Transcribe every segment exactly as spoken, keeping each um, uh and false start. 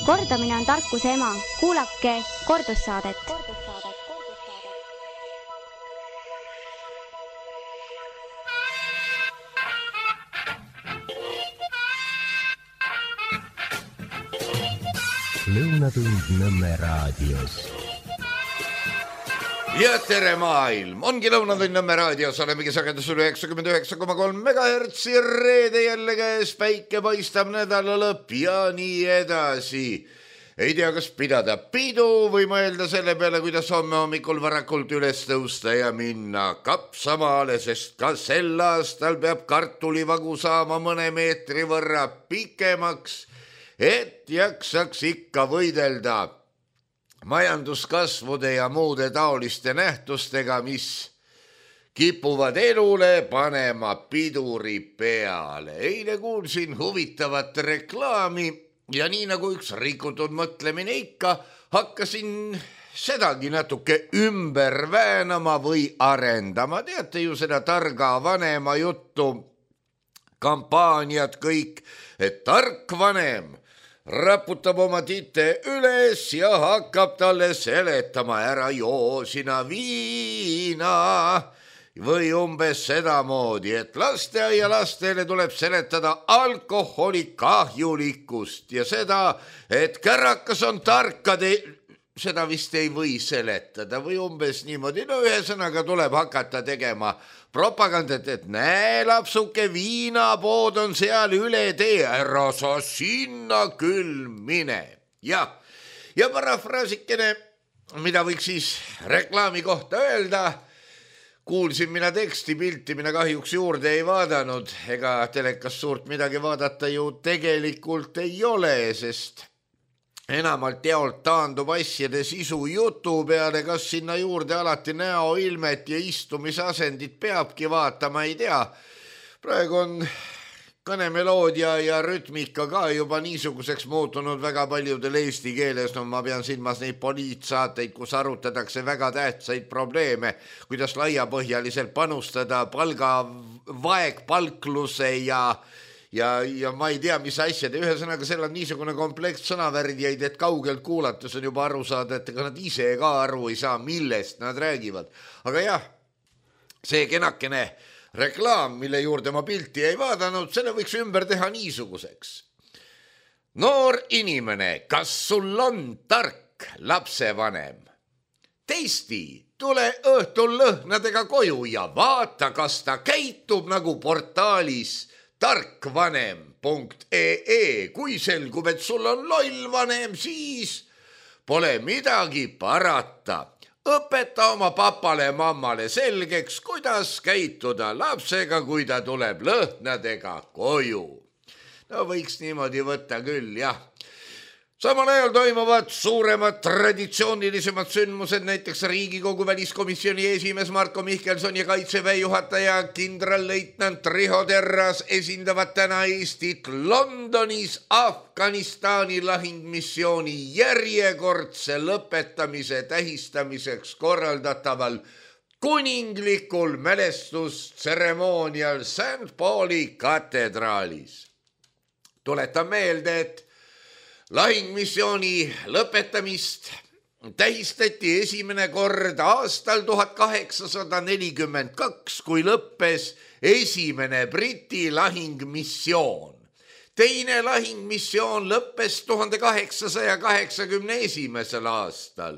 Kordamine on tarkuse ema. Kuulake kordussaadet. Lõunatund Nõmme raadios. Ja tere maailm! Ongi Lõunatund Nõmme raadios, olemegi sagedus üle üheksakümmend üheksa koma kolm megahertsi, reede jälle käes, päike paistab, nädala lõpp ja nii edasi. Ei tea, kas pidada pidu või mõelda selle peale, kuidas homme hommikul varakult üles tõusta ja minna kapsamaale, sest ka sel aastal peab kartulivagu saama mõne meetri võrra pikemaks, et jaksaks ikka võidelda majanduskasvude ja muude taoliste nähtustega, mis kipuvad elule panema piduri peale. Eile kuulsin huvitavat reklaami ja nii nagu üks rikutud mõtlemine ikka, hakkasin sedagi natuke ümber väänama või arendama. Teate ju seda targa vanema juttu, kampaaniad kõik, et tark vanem raputab oma tite üles ja hakkab talle seletama, ära joo sina viina või umbes sedamoodi, et lasteaia lastele tuleb seletada alkoholi kahjulikkust ja seda, et kärakas on tarkade, seda vist ei või seletada või umbes niimoodi. No ühesõnaga tuleb hakata tegema propagandat, et näe lapsuke, viinapood on seal üle tee, ära sa sinna küll mine. Ja, ja parafraasikene, mida võiks siis reklaami kohta öelda, kuulsin mina teksti, pilti mina kahjuks juurde ei vaadanud, ega telekas suurt midagi vaadata ju tegelikult ei ole, sest enamalt jaolt taandub asjade sisu jutu peale, kas sinna juurde alati näoilmet ja istumisasendit peabki vaatama, ei tea. Praegu on kõnemeloodia ja rütmika ka juba niisuguseks muutunud väga paljudel eesti keeles. No ma pean silmas neid poliitsaateid, kus arutatakse väga tähtsaid probleeme, kuidas laiapõhjaliselt panustada palga vaegpalkluse ja Ja, ja ma ei tea, mis asjad. Ühesõnaga, seal on niisugune kompleks sõnavärdjaid, et kaugelt kuulates on juba aru saada, et ega nad ise ka aru ei saa, millest nad räägivad. Aga jah, see kenakene reklaam, mille juurde ma pilti ei vaadanud, selle võiks ümber teha niisuguseks. Noor inimene, kas sul on tark lapsevanem? Testi, tule õhtul lõhnadega koju ja vaata, kas ta käitub nagu portaalis tarkvanem punkt ee. Kui selgub, et sul on loll vanem, siis pole midagi parata. Õpeta oma papale ja mammale selgeks, kuidas käituda lapsega, kui ta tuleb lõhnadega koju. No võiks niimoodi võtta küll, jah. Samal ajal toimuvad suuremad traditsioonilisemad sündmused, näiteks Riigikogu väliskomisjoni esimees Marko Mihkelson ja kaitseväe juhataja kindralleitnant Riho Terras esindavad täna Eestit Londonis Afganistani lahingmissiooni järjekordse lõpetamise tähistamiseks korraldataval kuninglikul mälestustseremoonial Saint Pauli katedraalis. Tuletan meelde, et lahingmissiooni lõpetamist tähistati esimene kord aastal tuhat kaheksasada nelikümmend kaks, kui lõppes esimene Briti lahingmissioon. Teine lahingmissioon lõppes tuhande kaheksasaja kaheksakümne esimesel aastal.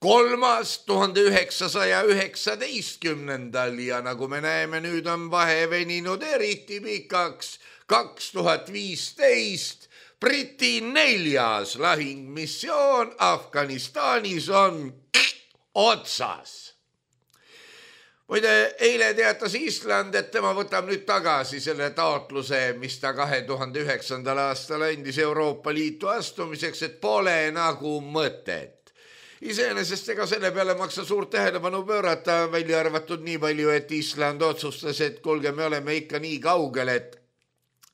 Kolmas tuhande üheksasaja üheksateistkümnendal ja nagu me näeme, nüüd on vahe veninud eriti pikaks. kaks tuhat viisteist Briti neljas lahingmissioon Afganistanis on otsas. Muide, eile teatas Island, et tema võtab nüüd tagasi selle taotluse, mis ta kahe tuhande üheksandal aastal andis Euroopa Liitu astumiseks, et pole nagu mõtet. Iseenesest ega selle peale maksa suurt tähelepanu pöörata, välja arvatud nii palju, et Island otsustas, et kuulge, me oleme ikka nii kaugel, et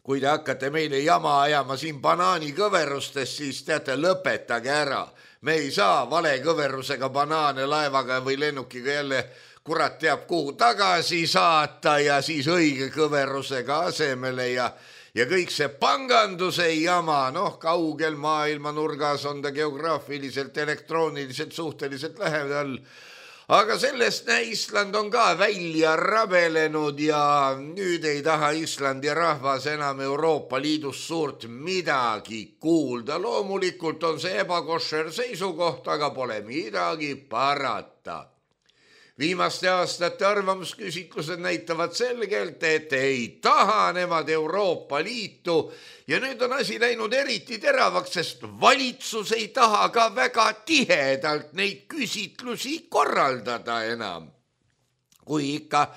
kui te hakkate meile jama ajama siin banaanikõverustes, siis teate, lõpetage ära. Me ei saa vale kõverusega banaane laevaga või lennukiga jälle kurat teab kuhu tagasi saata ja siis õige kõverusega asemele ja ja kõik see panganduse jama, noh, kaugel maailma nurgas on ta geograafiliselt, elektrooniliselt suhteliselt lähedal. Aga sellest Island on ka välja rabelenud ja nüüd ei taha Islandi rahvas enam Euroopa Liidus suurt midagi kuulda. Loomulikult on see ebakošer seisukoht, aga pole midagi parata. Viimaste aastate arvamusküsitlused näitavad selgelt, et ei taha nemad Euroopa Liitu ja nüüd on asi läinud eriti teravaks, sest valitsus ei taha ka väga tihedalt neid küsitlusi korraldada enam. Kui ikka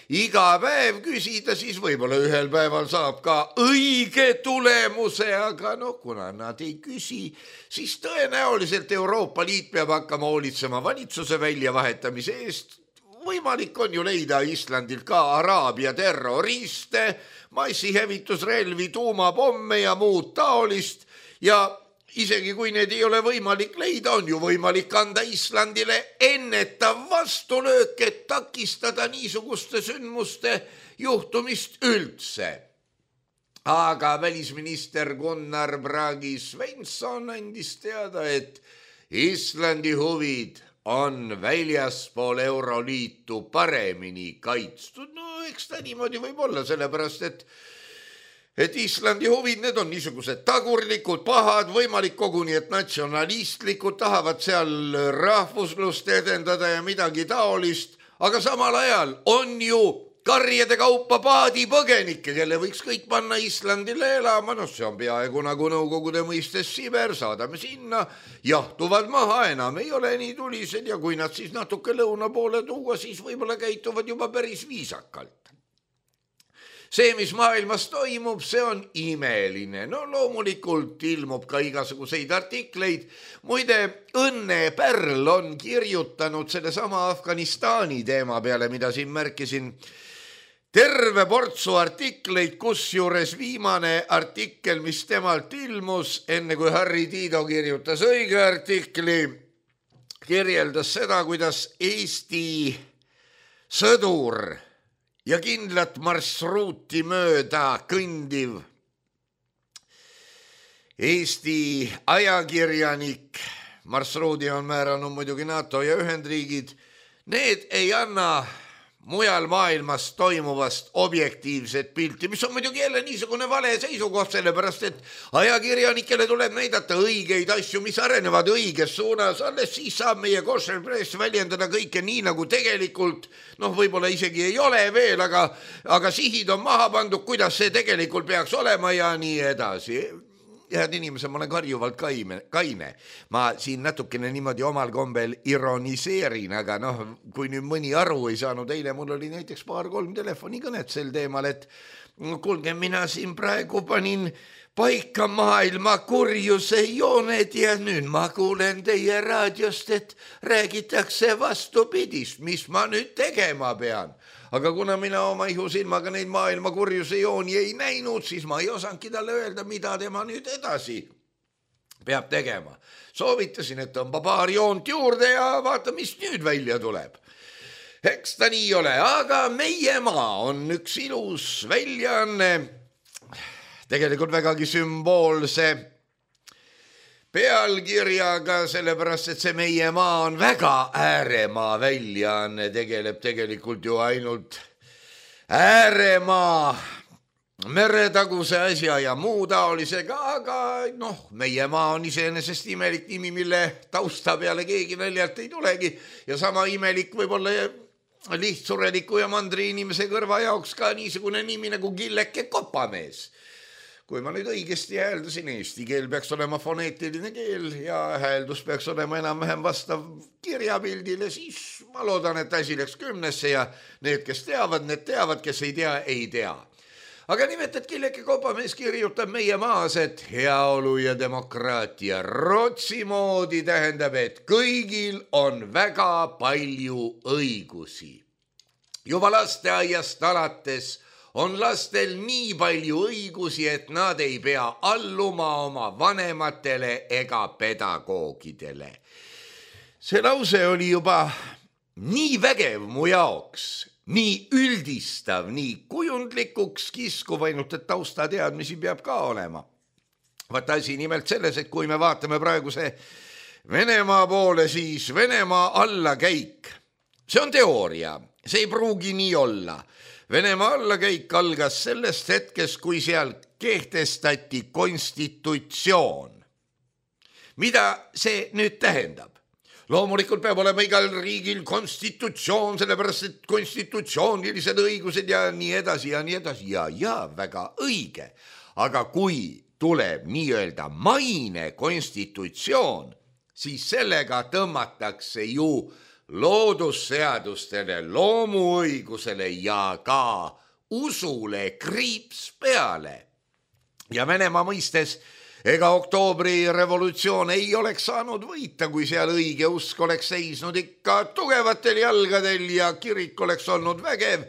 iga päev küsida, siis võib-olla ühel päeval saab ka õige tulemuse, aga noh, kuna nad ei küsi, siis tõenäoliselt Euroopa Liit peab hakkama hoolitsema valitsuse väljavahetamise eest. Võimalik on ju leida Islandil ka Araabia terroriste, massihävitusrelvi, tuumapomme ja muud taolist ja isegi kui need ei ole võimalik leida, on ju võimalik anda Islandile ennetav vastulöök, et takistada niisuguste sündmuste juhtumist üldse. Aga välisminister Gunnar Bragi Svensson andis teada, et Islandi huvid on väljaspool Euroliitu paremini kaitstud. No eks ta niimoodi võib olla, sellepärast, et et Islandi huvid, need on niisugused tagurlikud, pahad, võimalik koguni, et natsionalistlikud, tahavad seal rahvuslust edendada ja midagi taolist, aga samal ajal on ju karjede kaupa paadipõgenikke, kelle võiks kõik panna Islandile elama, noh see on peaaegu nagu Nõukogude mõistes Siber, saadame sinna, jahtuvad maha, enam ei ole nii tulised ja kui nad siis natuke lõuna poole tuua, siis võib-olla käituvad juba päris viisakalt. See, mis maailmas toimub, see on imeline. No loomulikult ilmub ka igasuguseid artikleid. Muide, Õnne Pärl on kirjutanud selle sama Afganistani teema peale, mida siin märkisin. Terve portsu artikleid, kusjuures viimane artikkel, mis temalt ilmus, enne kui Harri Tiido kirjutas õige artikli, kirjeldas seda, kuidas Eesti sõdur ja kindlat marsruuti mööda kõndiv Eesti ajakirjanik, marsruudi on määranud muidugi NATO ja Ühendriigid, need ei anna mujal maailmas toimuvast objektiivset pilti, mis on muidugi jälle niisugune vale seisukoht, sellepärast et ajakirjanikele tuleb näidata õigeid asju, mis arenevad õiges suunas, alles siis saab meie kosher press väljendada kõike nii, nagu tegelikult, noh, võib-olla isegi ei ole veel, aga, aga sihid on maha pandud, kuidas see tegelikult peaks olema ja nii edasi. Head inimesed, ma olen karjuvalt kaine, kaine. Ma siin natukene niimoodi omal kombel ironiseerin, aga noh, kui nüüd mõni aru ei saanud, eile mul oli näiteks paar-kolm telefonikõnet sel teemal, et kuulge, mina siin praegu panin paika maailma kurjuse jooned ja nüüd ma kuulen teie raadiost, et räägitakse vastupidist, mis ma nüüd tegema pean. Aga kuna mina oma ihusilmaga neid maailma kurjuse jooni ei näinud, siis ma ei osanudki talle öelda, mida tema nüüd edasi peab tegema. Soovitasin, et tõmba paar joont juurde ja vaata, mis nüüd välja tuleb. Eks ta nii ole, aga Meie maa on üks ilus väljaanne, tegelikult vägagi sümboolse pealkirjaga, sellepärast, et see Meie maa on väga ääremaa väljaanne, tegeleb tegelikult ju ainult ääremaa, meretaguse asja ja muu taolisega, aga noh, Meie maa on iseenesest imelik nimi, mille tausta peale keegi väljalt ei tulegi ja sama imelik võib-olla lihtsureliku ja mandri inimese kõrva jaoks ka niisugune nimi nagu Killeke Kopamees. Kui ma nüüd õigesti hääldasin, eesti keel peaks olema foneetiline keel ja hääldus peaks olema enam-vähem vastav kirjapildile, siis ma loodan, et asi läks kümnesse ja need, kes teavad, need teavad, kes ei tea, ei tea. Aga nimelt, et Killeke Kopamees kirjutab Meie maas, et heaolu ja demokraatia Rootsi moodi tähendab, et kõigil on väga palju õigusi. Juba lasteaiast alates on lastel nii palju õigusi, et nad ei pea alluma oma vanematele ega pedagoogidele. See lause oli juba nii vägev mu jaoks, nii üldistav, nii kujundlikuks kiskuv, ainult et taustateadmisi peab ka olema. Vaat asi nimelt selles, et kui me vaatame praeguse Venemaa poole, siis Venemaa allakäik, see on teooria, see ei pruugi nii olla. Venemaa allakäik algas sellest hetkest, kui seal kehtestati konstitutsioon. Mida see nüüd tähendab? Loomulikult peab olema igal riigil konstitutsioon, sellepärast et konstitutsioonilised õigused ja nii edasi ja nii edasi ja, ja väga õige. Aga kui tuleb nii-öelda maine konstitutsioon, siis sellega tõmmatakse ju loodusseadustele, loomuõigusele ja ka usule kriips peale. Ja Venemaa mõistes ega oktoobri revolutsioon ei oleks saanud võita, kui seal õige usk oleks seisnud ikka tugevatel jalgadel ja kirik oleks olnud vägev,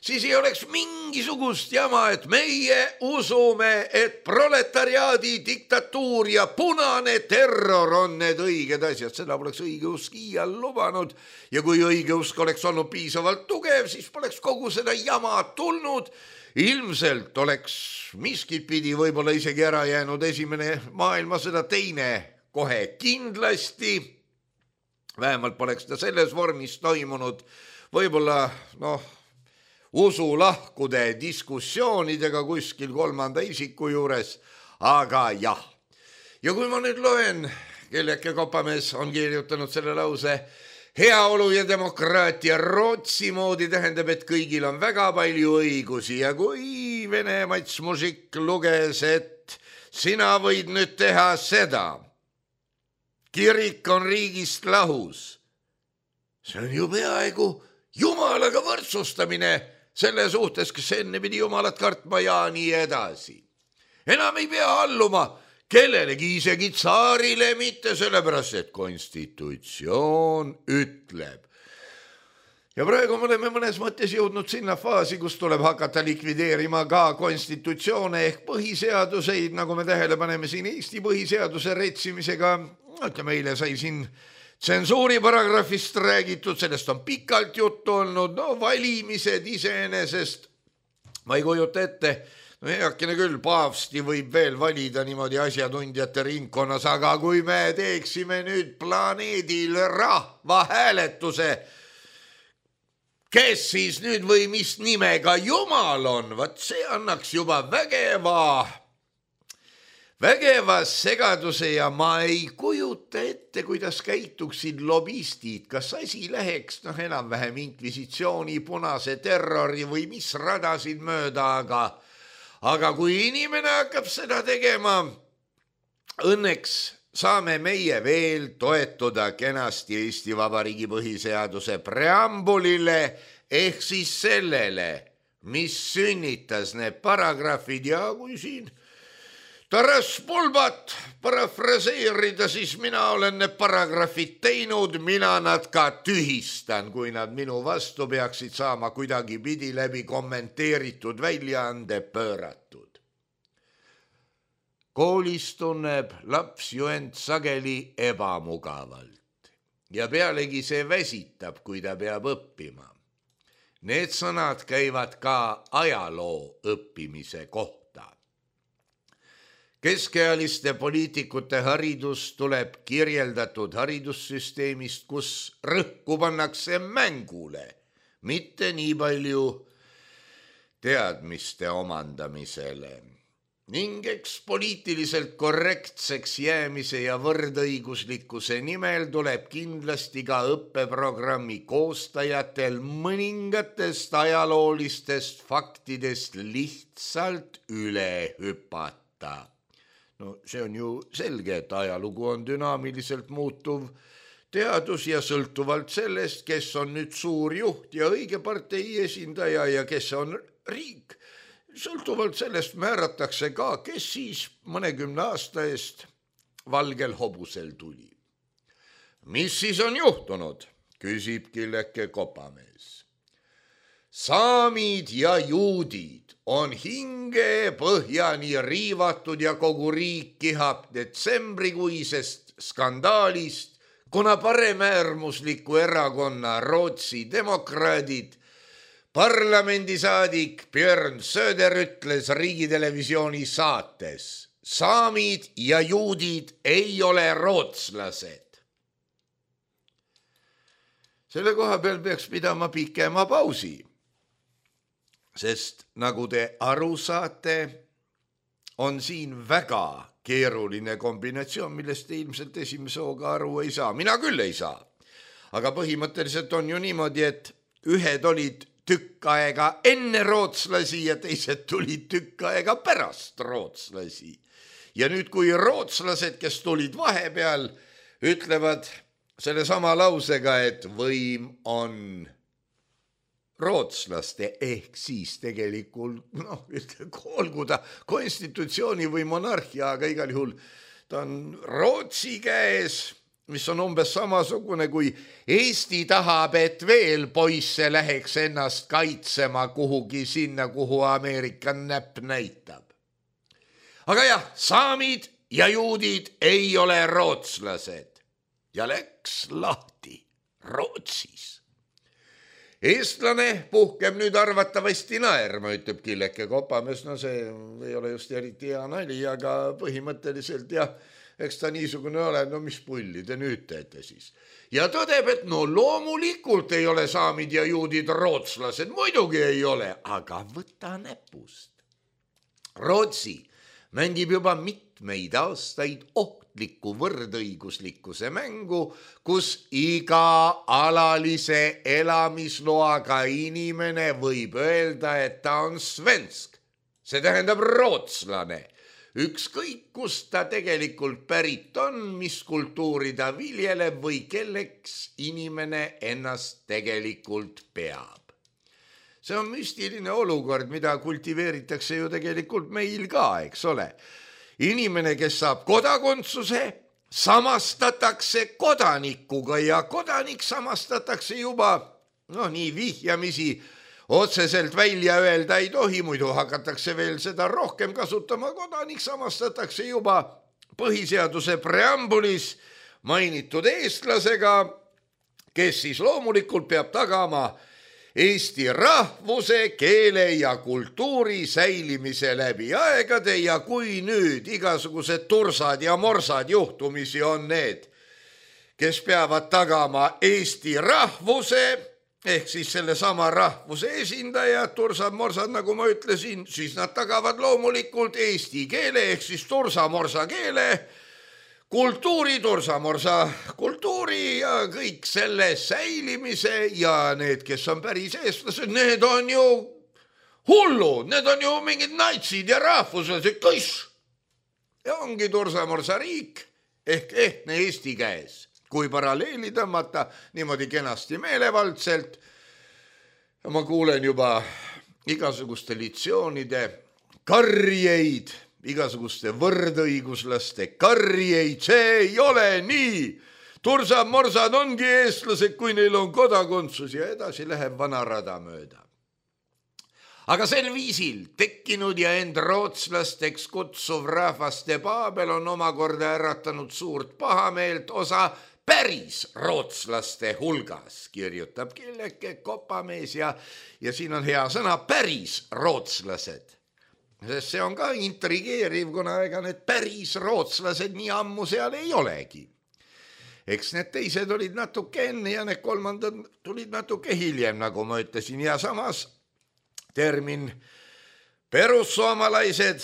siis ei oleks mingisugust jama, et meie usume, et proletariaadi diktatuur ja punane terror on need õiged asjad. Seda poleks õige usk iial lubanud ja kui õige usk oleks olnud piisavalt tugev, siis poleks kogu seda jama tulnud. Ilmselt oleks miskit pidi võib-olla isegi ära jäänud esimene maailmasõda, teine kohe kindlasti. Vähemalt poleks ta selles vormis toimunud. Võib-olla, noh, usulahkude diskussioonidega kuskil kolmanda isiku juures, aga jah. Ja kui ma nüüd loen, Kelleke Kopamees on kirjutanud selle lause, heaolu ja demokraatia Rootsi moodi tähendab, et kõigil on väga palju õigusi ja kui Vene Mats Mužik luges, et sina võid nüüd teha seda, kirik on riigist lahus, see on ju peaaegu Jumalaga võrdsustamine selle suhtes, kes enne pidi Jumalat kartma ja nii edasi. Enam ei pea alluma kellelegi, isegi tsaarile mitte, sellepärast, et konstitutsioon ütleb. Ja praegu me oleme mõnes mõttes jõudnud sinna faasi, kus tuleb hakata likvideerima ka konstitutsioone ehk põhiseaduseid, nagu me tähele paneme siin Eesti põhiseaduse retsimisega. Ütleme, eile sai siin tsensuuri paragrafist räägitud, sellest on pikalt juttu olnud, no valimised iseenesest, ma ei kujuta ette, no heakene küll, paavsti võib veel valida niimoodi asjatundjate ringkonnas, aga kui me teeksime nüüd planeedil rahva hääletuse, kes siis nüüd või mis nimega Jumal on, vaat see annaks juba vägeva Vägeva segaduse ja ma ei kujuta ette, kuidas käituksid lobistid, kas asi läheks noh enam-vähem inkvisitsiooni, punase terrori või mis radasid mööda, aga, aga kui inimene hakkab seda tegema, õnneks saame meie veel toetuda kenasti Eesti Vabariigi põhiseaduse preambulile ehk siis sellele, mis sünnitas need paragrahvid ja kui siin Taras Bulbat parafraseerida, siis mina olen need paragrafid teinud, mina nad ka tühistan, kui nad minu vastu peaksid saama kuidagi pidi läbi kommenteeritud väljaande pööratud. Koolis tunneb laps ju end sageli ebamugavalt ja pealegi see väsitab, kui ta peab õppima. Need sõnad käivad ka ajaloo õppimise kohta. Keskealiste poliitikute haridus tuleb kirjeldatud haridussüsteemist, kus rõhku pannakse mängule, mitte nii palju teadmiste omandamisele. Ning eks poliitiliselt korrektseks jäämise ja võrdõiguslikkuse nimel tuleb kindlasti ka õppeprogrammi koostajatel mõningatest ajaloolistest faktidest lihtsalt üle hüpata. No see on ju selge, et ajalugu on dünaamiliselt muutuv teadus ja sõltuvalt sellest, kes on nüüd suur juht ja õige partei esindaja ja kes on riik. Sõltuvalt sellest määratakse ka, kes siis mõnekümne aasta eest valgel hobusel tuli. Mis siis on juhtunud, küsib Kelleke Kopamees. Saamid ja juudid on hinge põhjani riivatud ja kogu riik kihab detsembrikuisest skandaalist, kuna paremäärmusliku erakonna Rootsi demokraadid parlamendisaadik Björn Söder ütles Riigitelevisiooni saates: saamid ja juudid ei ole rootslased. Selle koha peal peaks pidama pikema pausi, sest nagu te aru saate, on siin väga keeruline kombinatsioon, millest te ilmselt esimese hooga aru ei saa. Mina küll ei saa. Aga põhimõtteliselt on ju niimoodi, et ühed olid tükk aega enne rootslasi ja teised tulid tükk aega pärast rootslasi. Ja nüüd, kui rootslased, kes tulid vahepeal, ütlevad selle sama lausega, et võim on rootslaste, ehk siis tegelikult, noh, olgu ta konstitutsiooni või monarhia, aga igal juhul ta on Rootsi käes, mis on umbes samasugune, kui Eesti tahab, et veel poisse läheks ennast kaitsema kuhugi sinna, kuhu Ameerika näpp näitab. Aga jah, saamid ja juudid ei ole rootslased ja läks lahti Rootsis. Eestlane puhkeb nüüd arvatavasti naerma, ütleb Killeke Kopamees. No see ei ole just eriti hea nali, aga põhimõtteliselt jah, eks ta niisugune ole, no mis pulli te nüüd teete siis. Ja tõdeb, et no loomulikult ei ole saamid ja juudid rootslased, muidugi ei ole, aga võta näpust. Rootsi mängib juba mitmeid aastaid ohtliku võrdõiguslikkuse mängu, kus iga alalise elamisloaga inimene võib öelda, et ta on svensk. See tähendab rootslane. Ükskõik, kus ta tegelikult pärit on, mis kultuuri ta viljeleb või kelleks inimene ennast tegelikult peab. See on müstiline olukord, mida kultiveeritakse ju tegelikult meil ka, eks ole. Inimene, kes saab kodakondsuse, samastatakse kodanikuga ja kodanik samastatakse juba, no nii vihjamisi, otseselt välja öelda ei tohi, muidu hakatakse veel seda rohkem kasutama. Kodanik samastatakse juba põhiseaduse preambulis mainitud eestlasega, kes siis loomulikult peab tagama Eesti rahvuse, keele ja kultuuri säilimise läbi aegade ja kui nüüd igasugused tursad ja morsad juhtumisi on need, kes peavad tagama Eesti rahvuse, ehk siis selle sama rahvuse esindajad, tursad-morsad, nagu ma ütlesin, siis nad tagavad loomulikult eesti keele, ehk siis tursa-morsa keele, kultuuri, tursa-morsa kultuuri ja kõik selle säilimise ja need, kes on päris eestlased, need on ju hullud, need on ju mingid natsid ja rahvuslased, kõiss. Ja ongi tursa-morsa riik ehk ehtne Eesti käes. Kui paralleeli tõmmata niimoodi kenasti meelevaldselt, ma kuulen juba igasuguste litsioonide karjeid, igasuguste võrdõiguslaste karjeid, see ei ole nii. Tursad-morsad ongi eestlased, kui neil on kodakondsus ja edasi läheb vana rada mööda. Aga sel viisil tekkinud ja end rootslasteks kutsuv rahvaste Paabel on omakorda äratanud suurt pahameelt osa päris rootslaste hulgas, kirjutab Killeke Kopamees ja, ja siin on hea sõna päris rootslased. Sest see on ka intrigeeriv, kuna ega need päris rootslased nii ammu seal ei olegi. Eks need teised olid natuke enne ja need kolmandad tulid natuke hiljem, nagu ma ütlesin. Ja samas termin perussoomalaised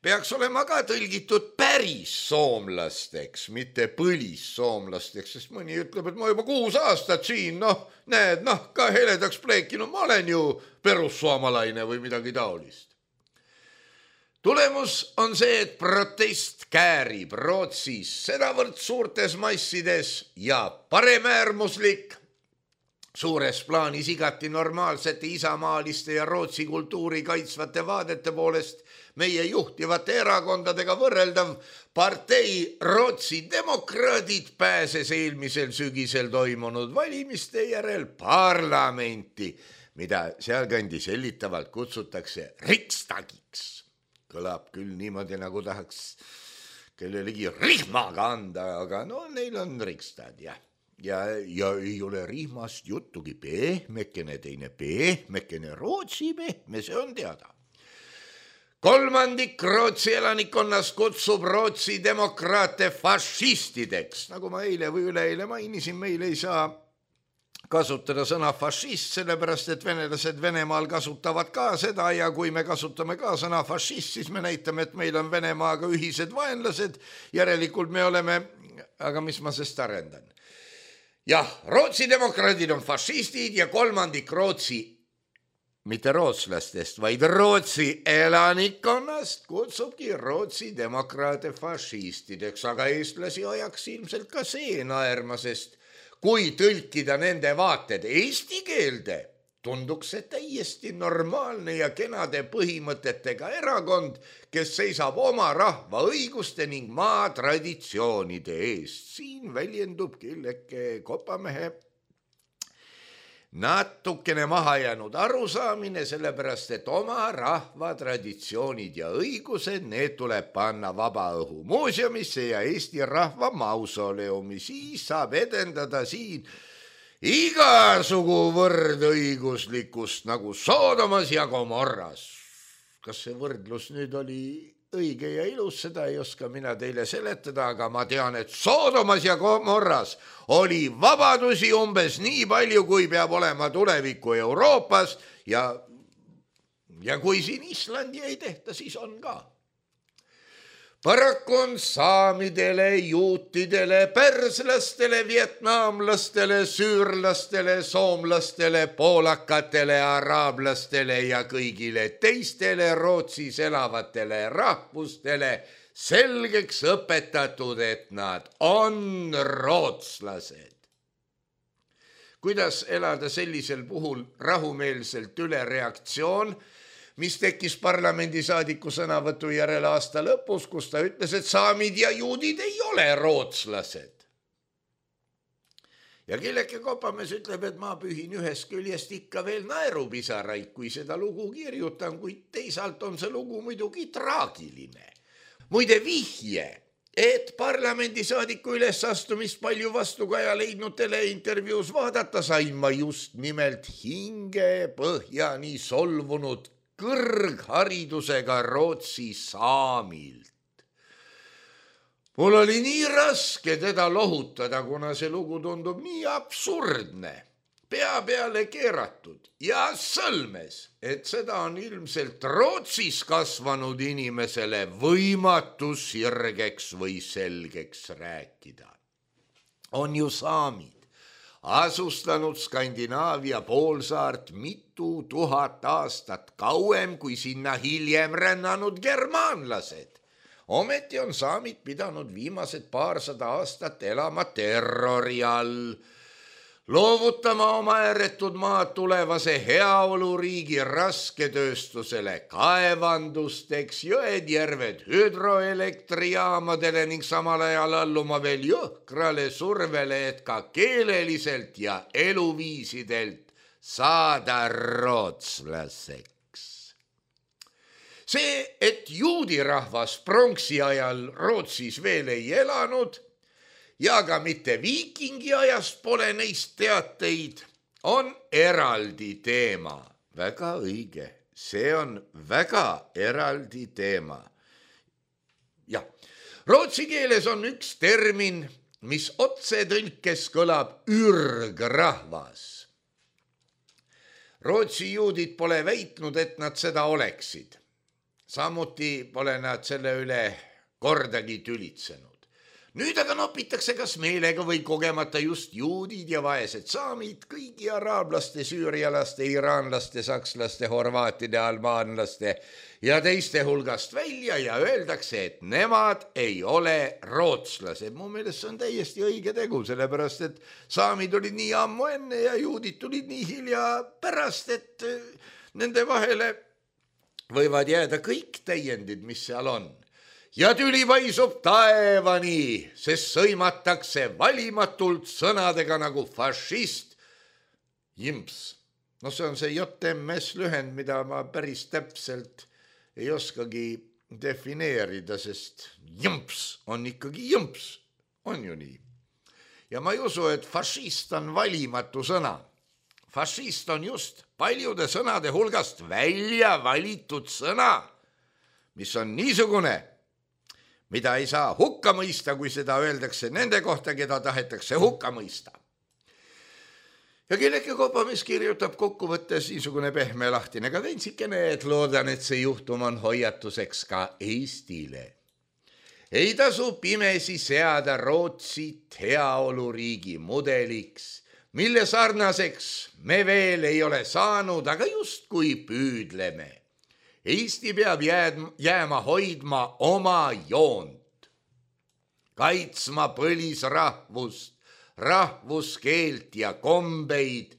peaks olema ka tõlgitud päris soomlasteks, mitte põlissoomlasteks, sest mõni ütleb, et ma juba kuus aastat siin, noh, näed, noh, ka heledaks pleekinu, ma olen ju perussoomalaine või midagi taolist. Tulemus on see, et protest käärib Rootsis sedavõrd suurtes massides ja paremäärmuslik, suures plaanis igati normaalsete isamaaliste ja Rootsi kultuuri kaitsvate vaadete poolest meie juhtivate erakondadega võrreldav partei Rootsi demokraadid pääses eelmisel sügisel toimunud valimiste järel parlamenti, mida sealkandis hellitavalt kutsutakse Riksdagiks. Kõlab küll niimoodi, nagu tahaks kellelegi rihmaga anda, aga no neil on Riksdag, jah. ja, ja ei ole rihmast juttugi, pehmekene teine, pehmekene, Rootsi pehme, see on teada. Kolmandik Rootsi elanikkonnast kutsub Rootsi demokraate fašistideks. Nagu ma eile või üleeile mainisin, meil ei saa kasutada sõna fašist, sellepärast et venelased Venemaal kasutavad ka seda ja kui me kasutame ka sõna fašist, siis me näitame, et meil on Venemaaga ühised vaenlased, järelikult me oleme, aga mis ma sest arendan. Jah, Rootsi demokraadid on fašistid ja kolmandik Rootsi, mitte rootslastest, vaid Rootsi elanikkonnast kutsubki Rootsi demokraate fašistideks, aga eestlasi ajaks ilmselt ka see naerma, sest kui tõlkida nende vaated eesti keelde, tunduks see täiesti normaalne ja kenade põhimõtetega erakond, kes seisab oma rahva õiguste ning maa traditsioonide eest. Siin väljendub külleke kopamehe natukene maha jäänud arusaamine, sellepärast et oma rahva traditsioonid ja õigused, need tuleb panna Vabaõhu muuseumisse ja Eesti rahva mausoleumi, siis saab edendada siin igasugu võrdõiguslikkust nagu Soodomas ja Gomorras. Kas see võrdlus nüüd oli õige ja ilus, seda ei oska mina teile seletada, aga ma tean, et Soodomas ja Gomorras oli vabadusi umbes nii palju, kui peab olema tuleviku Euroopas ja, ja kui siin Islandi ei tehta, siis on ka. Paraku on saamidele, juutidele, perslastele, vietnamlastele, süürlastele, soomlastele, poolakatele, araablastele ja kõigile teistele Rootsis elavatele rahvustele selgeks õpetatud, et nad on rootslased. Kuidas elada sellisel puhul rahumeelselt üle reaktsioon, mis tekkis parlamendisaadiku sõnavõtu järel aasta lõpus, kus ta ütles, et saamid ja juudid ei ole rootslased. Ja Killeke Kopamees ütleb, et ma pühin ühest küljest ikka veel naerupisaraid, kui seda lugu kirjutan, kuid teisalt on see lugu muidugi traagiline. Muide vihje, et parlamendisaadiku ülesastumist palju vastukaja leidnud teleintervjuus vaadata sain ma just nimelt hinge põhjani solvunud kõrgharidusega Rootsi saamilt. Mul oli nii raske teda lohutada, kuna see lugu tundub nii absurdne, pea peale keeratud ja sõlmes, et seda on ilmselt Rootsis kasvanud inimesele võimatu sirgeks või selgeks rääkida. On ju saamid asustanud Skandinaavia poolsaart mitu tuhat aastat kauem kui sinna hiljem rännanud germaanlased. Ometi on saamid pidanud viimased paarsada aastat elama terrori all, loovutama oma ääretud maad tulevase heaoluriigi rasketööstusele, kaevandusteks, jõed, järved hüdroelektrijaamadele ning samal ajal alluma veel jõhkrale survele, et ka keeleliselt ja eluviisidelt saada rootslaseks. See, et juudirahvas pronksi ajal Rootsis veel ei elanud, ja ka mitte viikingi ajast pole neist teateid, on eraldi teema. Väga õige, see on väga eraldi teema. Jah, rootsi keeles on üks termin, mis otse tõlkes kõlab ürgrahvas. Rootsi juudid pole väitnud, et nad seda oleksid. Samuti pole nad selle üle kordagi tülitsenud. Nüüd aga nopitakse kas meelega või kogemata just juudid ja vaesed saamid, kõigi araablaste, süürialaste, iraanlaste, sakslaste, horvaatide, albaanlaste ja teiste hulgast välja ja öeldakse, et nemad ei ole rootslased. Mu meelest see on täiesti õige tegu, sellepärast et saamid olid nii ammu enne ja juudid tulid nii hilja pärast, et nende vahele võivad jääda kõik täiendid, mis seal on. Ja tüli paisub taevani, sest sõimatakse valimatult sõnadega nagu fašist, jimps. No see on see J M S lühend, mida ma päris täpselt ei oskagi defineerida, sest jimps on ikkagi jimps, on ju nii. ja ma ei usu, et fašist on valimatu sõna. Fašist on just paljude sõnade hulgast välja valitud sõna, mis on niisugune, mida ei saa hukka mõista, kui seda öeldakse nende kohta, keda tahetakse hukka mõista. Ja Kelleke Kopamees kirjutab kokkuvõttes niisugune pehme lahtine kadentsikene, et loodan, et see juhtum on hoiatuseks ka Eestile. Ei tasu pimesi seada Rootsit heaoluriigi mudeliks, mille sarnaseks me veel ei ole saanud, aga justkui püüdleme. Eesti peab jääma hoidma oma joont, kaitsma põlisrahvust, rahvuskeelt ja kombeid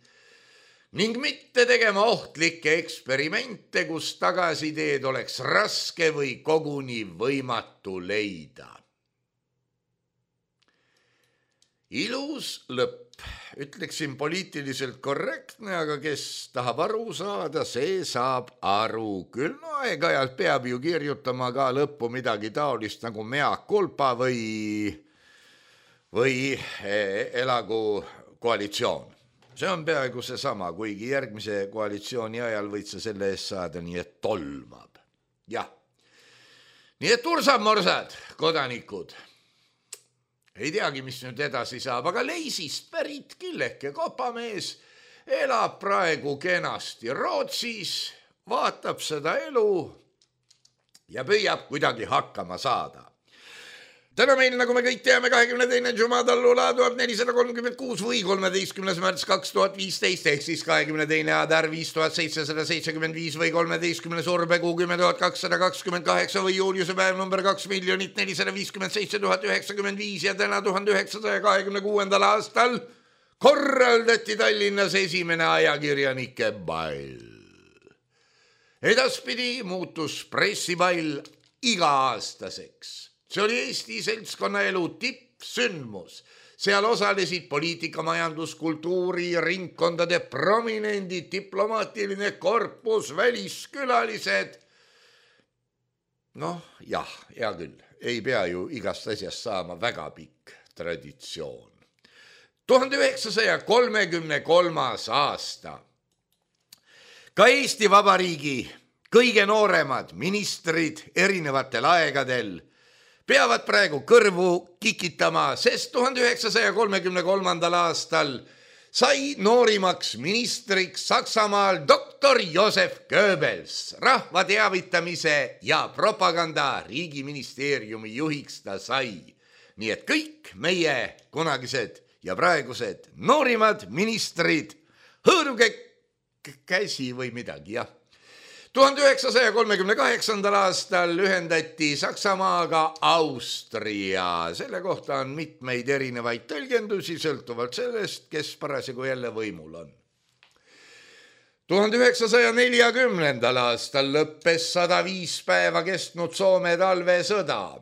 ning mitte tegema ohtlikke eksperimente, kus tagasiteed oleks raske või koguni võimatu leida. Ilus lõpp. Ütleksin poliitiliselt korrektne, aga kes tahab aru saada, see saab aru. Küll no aeg-ajalt peab ju kirjutama ka lõppu midagi taolist nagu mea culpa või, või elagu koalitsioon. See on peaaegu see sama, kuigi järgmise koalitsiooni ajal võid sa selle eest saada, nii et tolmab. Jah. Nii et ursab-morsad, kodanikud. Ei teagi, mis nüüd edasi saab, aga Leisist pärit Kelleke Kopamees elab praegu kenasti Rootsis, vaatab seda elu ja püüab kuidagi hakkama saada. Täna meil, nagu me kõik teame, kahekümne teine Jumadallula tuhat nelisada kolmkümmend kuus või kolmeteistkümnes märts kaks tuhat viisteist ehk siis kahekümne teine Adar viis tuhat seitsesada seitsekümmend viis või kolmeteistkümnes Urbekuu kümme tuhat kakssada kakskümmend kaheksa või Juuliuse päev number kaks miljonit nelisada viiskümmend seitse tuhat üheksakümmend viis ja täna tuhande üheksasaja kahekümne kuuendal aastal korraldati Tallinnas esimene ajakirjanike ball. Edaspidi muutus pressiball iga-aastaseks. See oli Eesti seltskonnaelu tippsündmus. Seal osalesid poliitika, majandus, kultuuri, ringkondade prominendid, diplomaatiline korpus, väliskülalised. Noh, jah, hea küll, ei pea ju igast asjast saama väga pikk traditsioon. tuhande üheksasaja kolmekümne kolmas aasta. Ka Eesti Vabariigi kõige nooremad ministrid erinevatel aegadel peavad praegu kõrvu kikitama, sest tuhande üheksasaja kolmekümne kolmandal aastal sai noorimaks ministriks Saksamaal doktor Josef Goebbels. Rahva teavitamise ja propaganda riigiministeeriumi juhiks ta sai. Nii et kõik meie kunagised ja praegused noorimad ministrid, hõõruge käsi või midagi, jah. tuhande üheksasaja kolmekümne kaheksandal aastal ühendati Saksamaaga Austria. Selle kohta on mitmeid erinevaid tõlgendusi, sõltuvalt sellest, kes parasjagu jälle võimul on. tuhande üheksasaja neljakümnendal aastal lõppes sada viis päeva kestnud Soome talvesõda.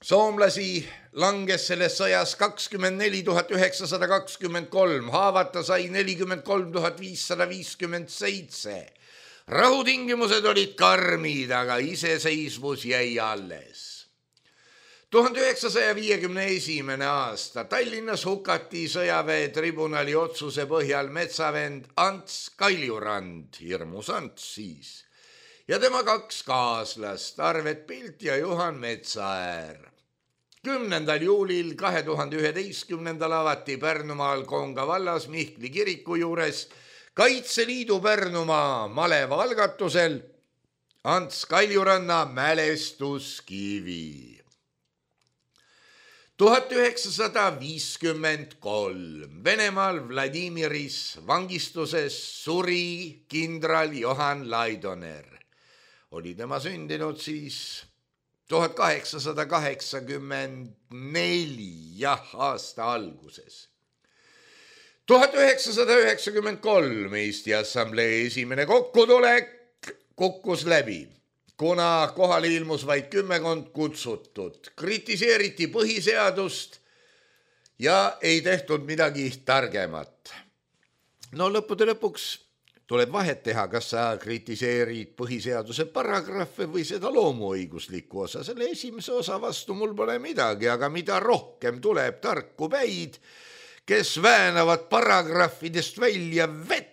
Soomlasi langes selles sõjas kakskümmend neli tuhat üheksasada kakskümmend kolm, haavata sai nelikümmend kolm tuhat viissada viiskümmend seitse. Rahutingimused olid karmid, aga iseseisvus jäi alles. tuhande üheksasaja viiekümne esimene aasta Tallinnas hukati sõjaväetribunali otsuse põhjal metsavend Ants Kaljurand, hirmus Ants siis, ja tema kaks kaaslast, Arvet Pilt ja Juhan Metsaäär. kümnendal juulil kahe tuhande üheteistkümnendal avati Pärnumaal Koonga vallas Mihkli kiriku juures Kaitseliidu Pärnumaa maleva algatusel Ants Kaljuranna mälestuskivi. tuhat üheksasada viiskümmend kolm Venemaal Vladimiris vangistuses suri kindral Johan Laidoner. Oli tema sündinud siis tuhat kaheksasada kaheksakümmend neli, jah, aasta alguses. tuhat üheksasada üheksakümmend kolm Eesti Assamblee esimene kokkutulek kukkus läbi, kuna kohale ilmus vaid kümmekond kutsutud. Kritiseeriti põhiseadust ja ei tehtud midagi targemat. No lõppude lõpuks tuleb vahet teha, kas sa kritiseerid põhiseaduse paragrahve või seda loomuõiguslikku osa. Selle esimese osa vastu mul pole midagi, aga mida rohkem tuleb tarku päid, kes väänavad paragrahvidest välja vett.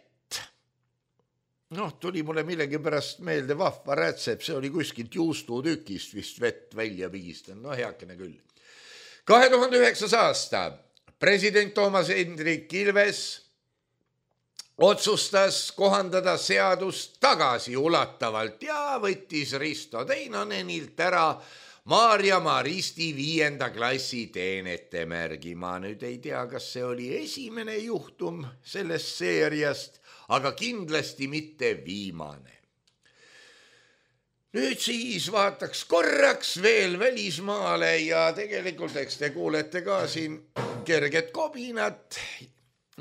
Noh, tuli mulle millegi pärast meelde vahva rätsep, see oli kuskilt juustutükist vist vett välja pigistan, no heakene küll. kahe tuhande üheksas aasta president Toomas Hendrik Ilves otsustas kohandada seadust tagasiulatavalt ja võttis Risto Teinonenilt ära Maarja Maristi viienda klassi teenete märgi. Ma nüüd ei tea, kas see oli esimene juhtum sellest seeriast, aga kindlasti mitte viimane. Nüüd siis vaataks korraks veel välismaale ja tegelikult eks te kuulete ka siin kerget kobinat,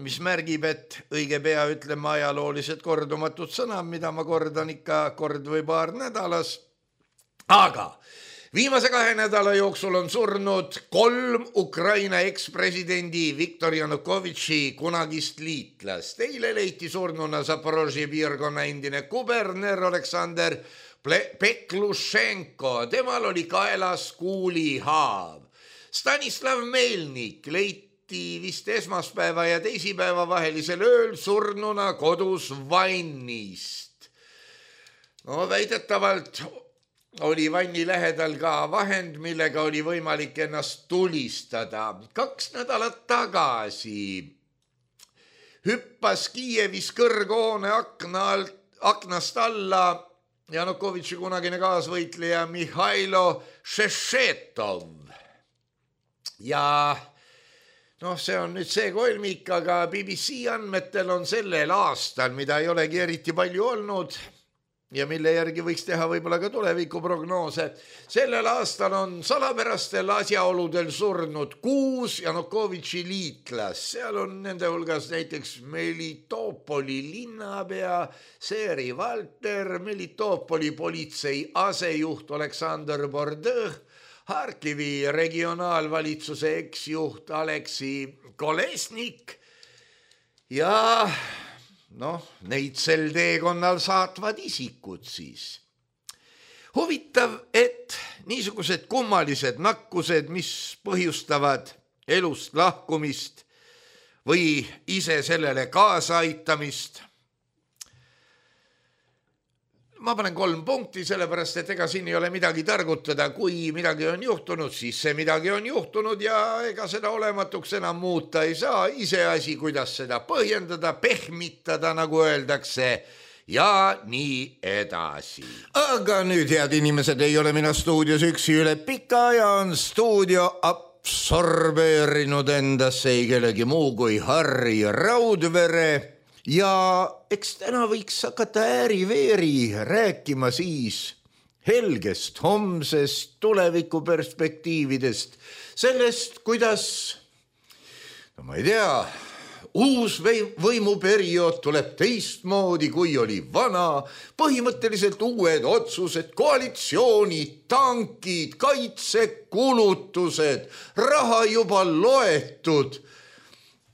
mis märgib, et õige pea ütleme ajaloolised kordumatud sõnad, mida ma kordan ikka kord või paar nädalas. Aga viimase kahe nädala jooksul on surnud kolm Ukraina ekspresidendi Viktor Janukovitši kunagist liitlast. Eile leiti surnuna Zaporožje piirkonna endine kuberner Aleksander Peklušenko. Temal oli kaelas kuulihaav. Stanislav Melnik leiti vist esmaspäeva ja teisipäeva vahelisel ööl surnuna kodus vannist. No väidetavalt oli vanni lähedal ka vahend, millega oli võimalik ennast tulistada. Kaks nädalat tagasi hüppas Kiievis kõrghoone akna alt, aknast alla Janukovitši kunagine kaasvõitleja Mihhailo Šešetov. Ja noh, see on nüüd see kolmik, aga B B C andmetel on sellel aastal, mida ei olegi eriti palju olnud, ja mille järgi võiks teha võib-olla ka tulevikuprognoose. Sellel aastal on salapärastel asjaoludel surnud kuus Janukovitši liitlas. Seal on nende hulgas näiteks Melitopoli linnapea Seri Valter, Melitopoli politsei asejuht Aleksandr Bordõh, Harkivi regionaalvalitsuse eksjuht Aleksi Kolesnik ja noh, neid sel teekonnal saatvad isikud siis. Huvitav, et niisugused kummalised nakkused, mis põhjustavad elust lahkumist või ise sellele kaasa aitamist. Ma panen kolm punkti, sellepärast, et ega siin ei ole midagi targutada. Kui midagi on juhtunud, siis see midagi on juhtunud ja ega seda olematuks enam muuta ei saa. Ise asi, kuidas seda põhjendada, pehmitada, nagu öeldakse, ja nii edasi. Aga nüüd, head inimesed, ei ole mina stuudios üksi üle pika ja on stuudio absorbeerinud endasse ei kellegi muu kui Harri Raudvere. Ja eks täna võiks hakata ääri-veeri rääkima siis helgest, homsest, tulevikuperspektiividest, sellest, kuidas, no ma ei tea, uus võimuperiood tuleb teistmoodi, kui oli vana, põhimõtteliselt uued otsused, koalitsioonid, tankid, kaitsekulutused, raha juba loetud.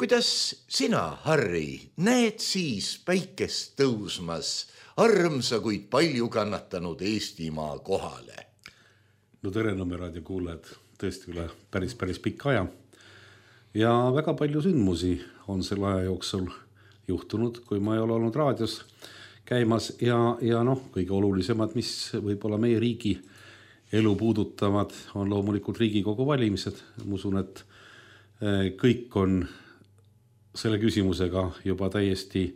Kuidas sina, Harri, näed siis päikest tõusmas armsa, kuid palju kannatanud Eestimaa kohale? No tere, Nõmme raadio kuulajad, tõesti üle päris, päris pikka aja. Ja väga palju sündmusi on selle aja jooksul juhtunud, kui ma ei ole olnud raadios käimas ja, ja noh, kõige olulisemad, mis võib-olla meie riigi elu puudutavad, on loomulikult Riigikogu valimised. Ma usun, et kõik on selle küsimusega juba täiesti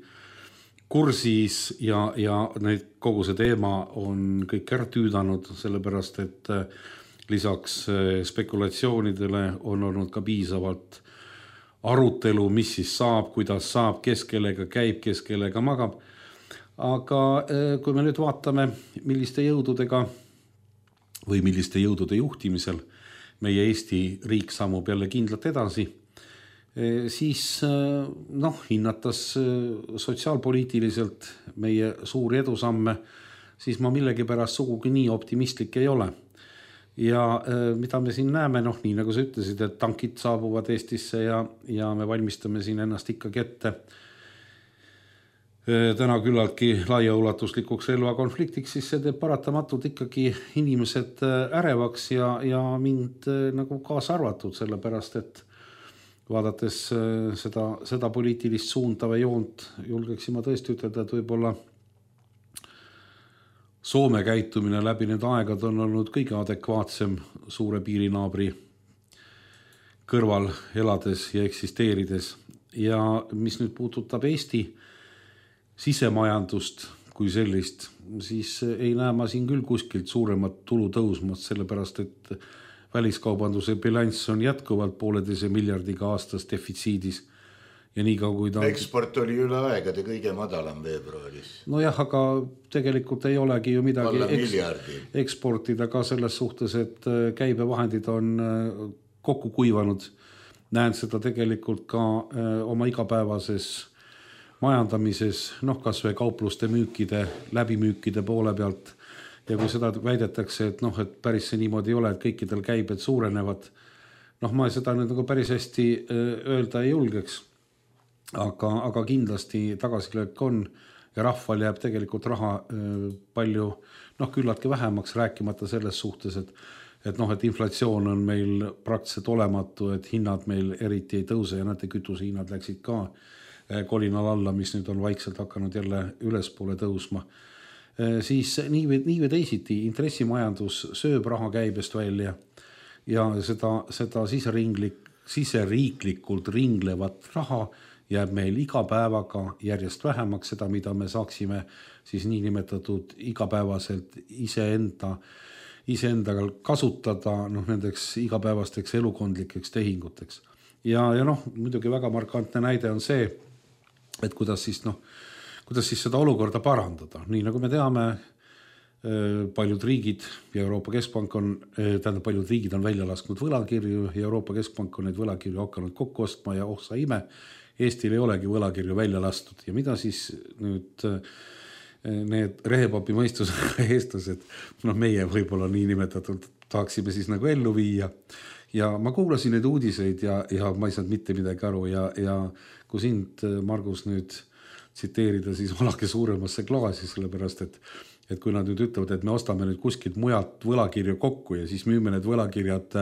kursis ja, ja need, kogu see teema on kõik ära tüüdanud, sellepärast, et lisaks spekulatsioonidele on olnud ka piisavalt arutelu, mis siis saab, kuidas saab, kes kellega käib, kes kellega magab. Aga kui me nüüd vaatame, milliste jõududega või milliste jõudude juhtimisel meie Eesti riik sammub jälle kindlalt edasi, siis noh, hinnatas sotsiaalpoliitiliselt meie suuri edusamme, siis ma millegi pärast sugugi nii optimistlik ei ole. Ja mida me siin näeme, noh, nii nagu sa ütlesid, et tankid saabuvad Eestisse ja, ja me valmistame siin ennast ikkagi ette täna küllaltki laiaulatuslikuks relvakonfliktiks, siis see teeb paratamatult ikkagi inimesed ärevaks ja, ja mind nagu kaasa arvatud, sellepärast et vaadates seda, seda poliitilist suunda või joont julgeksin ma tõesti ütelda, et võib-olla Soome käitumine läbi need aegad on olnud kõige adekvaatsem suure piirinaabri kõrval elades ja eksisteerides. Ja mis nüüd puudutab Eesti sisemajandust kui sellist, siis ei näe ma siin küll kuskilt suuremat tulu tõusmat, sellepärast et väliskaubanduse bilanss on jätkuvalt pooleteise miljardiga aastas defitsiidis. Ja nii ka, kui ta... Eksport oli üle aegade kõige madalam veebruaris. No jah, aga tegelikult ei olegi ju midagi eks, eksportida ka selles suhtes, et käibevahendid on kokku kuivanud. Näen seda tegelikult ka oma igapäevases majandamises, noh kas või kaupluste müükide, läbimüükide poole pealt. Ja kui seda väidetakse, et, noh, et päris see niimoodi ei ole, et kõikidel käibed suurenevad, noh ma seda nüüd nagu päris hästi öelda ei julgeks. Aga, aga kindlasti tagasilöök on ja rahval jääb tegelikult raha palju, noh küllaltki vähemaks, rääkimata selles suhtes, et, et, noh, et inflatsioon on meil praktiliselt olematu, et hinnad meil eriti ei tõuse ja näete, kütuse hinnad läksid ka kolinal alla, mis nüüd on vaikselt hakanud jälle ülespoole tõusma. Siis nii või, nii või teisiti intressimajandus sööb raha käibest välja ja seda, seda siseringlik, siseriiklikult ringlevat raha jääb meil iga päevaga järjest vähemaks seda, mida me saaksime siis nii nimetatud igapäevaselt iseenda, iseendaga kasutada noh, nendeks igapäevasteks elukondlikeks tehinguteks. Ja, ja noh, muidugi väga markantne näide on see, et kuidas siis, noh, kuidas siis seda olukorda parandada. Nii nagu me teame, paljud riigid ja Euroopa Keskpank on, tähendab paljud riigid on välja lasknud võlakirju ja Euroopa Keskpank on neid võlakirju hakanud kokku ostma ja oh sa ime, Eestil ei olegi võlakirju välja lastud ja mida siis nüüd need rehepapi mõistusega eestlased, noh meie võib-olla nii nimetatud tahaksime siis nagu ellu viia ja ma kuulasin neid uudiseid ja, ja ma ei saanud mitte midagi aru ja, ja kui sind, Margus, nüüd tsiteerida, siis valake suuremasse klaasi, sellepärast et et kui nad nüüd ütlevad, et me ostame nüüd kuskilt mujalt võlakirju kokku ja siis müüme need võlakirjad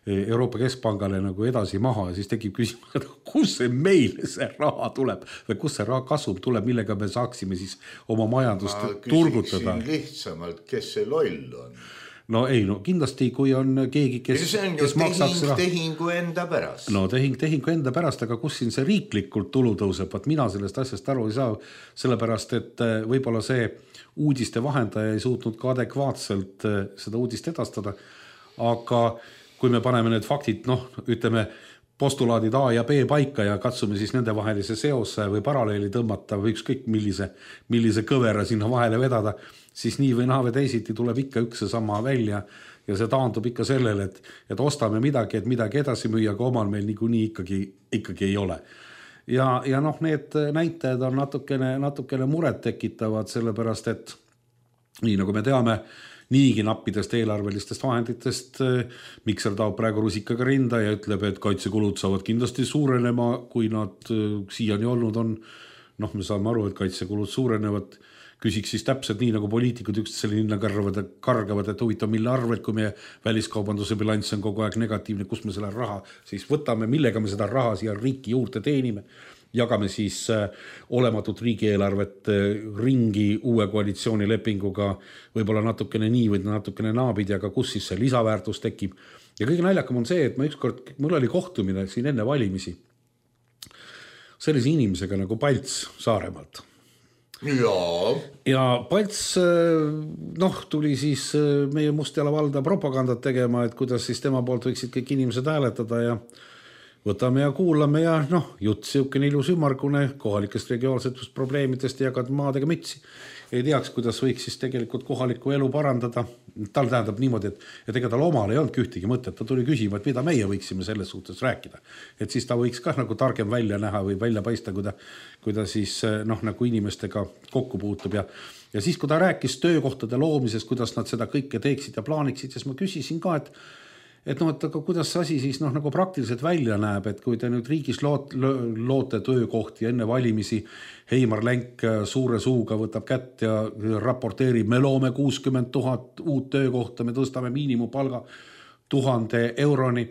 Euroopa Keskpangale nagu edasi maha ja siis tekib küsimus, et kus see meil see raha tuleb või kus see raha kasum tuleb, millega me saaksime siis oma majandust turgutada. Ma küsiksin lihtsamalt, kes see loll on? No ei, no kindlasti kui on keegi, kes, see on kes ju maksaks tehing, tehingu enda pärast. No tehing, tehingu enda pärast, aga kus siin see riiklikult tulu tõuseb, vaat mina sellest asjast aru ei saa, sellepärast et võib-olla see uudiste vahendaja ei suutnud ka adekvaatselt seda uudist edastada, aga kui me paneme need faktid, noh, ütleme, postulaadid A ja B paika ja katsume siis nende vahelise seose või paralleeli tõmmata või ükskõik millise, millise kõvera sinna vahele vedada, siis nii või naa või teisiti tuleb ikka üks sama välja ja see taandub ikka sellele, et, et ostame midagi, et midagi edasi müüa, aga omal meil niikuinii ikkagi, ikkagi ei ole. Ja, ja noh, need näitajad on natukene, natukene muret tekitavad, sellepärast et nii nagu me teame, niigi nappidest eelarvelistest vahenditest Mikser taob praegu rusikaga rinda ja ütleb, et kaitsekulud saavad kindlasti suurenema, kui nad siiani olnud on. Noh, me saame aru, et kaitsekulud suurenevad. Küsiks siis täpselt nii, nagu poliitikud üksteisele linna kargavad, kargavad, et huvitav, mille arvelt, kui meie väliskaubanduse bilanss on kogu aeg negatiivne, kus me selle raha siis võtame, millega me seda raha siia riiki juurde teenime. Jagame siis olematut riigieelarvet ringi uue koalitsioonilepinguga, võib-olla natukene nii või natukene naabidi, aga kus siis see lisaväärtus tekib. Ja kõige naljakam on see, et ma ükskord, mul oli kohtumine siin enne valimisi sellise inimesega nagu Palts Saaremaalt. Ja. ja Palts noh, tuli siis meie Mustjala valda propagandat tegema, et kuidas siis tema poolt võiksid kõik inimesed hääletada ja võtame ja kuulame ja noh, jutt siukene ilus ümargune kohalikest regionaalsetust probleemidest ja jagad maadega mütsi. Ei teaks, kuidas võiks siis tegelikult kohalikku elu parandada. Tal tähendab niimoodi, et, et ega tal omal ei olnud ühtegi mõtet. Ta tuli küsima, et mida meie võiksime selles suhtes rääkida. Et siis ta võiks ka nagu targem välja näha või välja paista, kui ta, kui ta siis noh, nagu inimestega kokku puutub. Ja, ja siis, kui ta rääkis töökohtade loomisest, kuidas nad seda kõike teeksid ja plaaniksid, siis ma küsisin ka, et et noh, et aga kuidas see asi siis noh, nagu praktiliselt välja näeb, et kui te nüüd riigis loot, loote töökohti enne valimisi, Heimar Lenk suure suuga võtab kätt ja raporteerib, me loome kuuskümmend tuhat uut töökohta, me tõstame miinimumpalga tuhande euroni,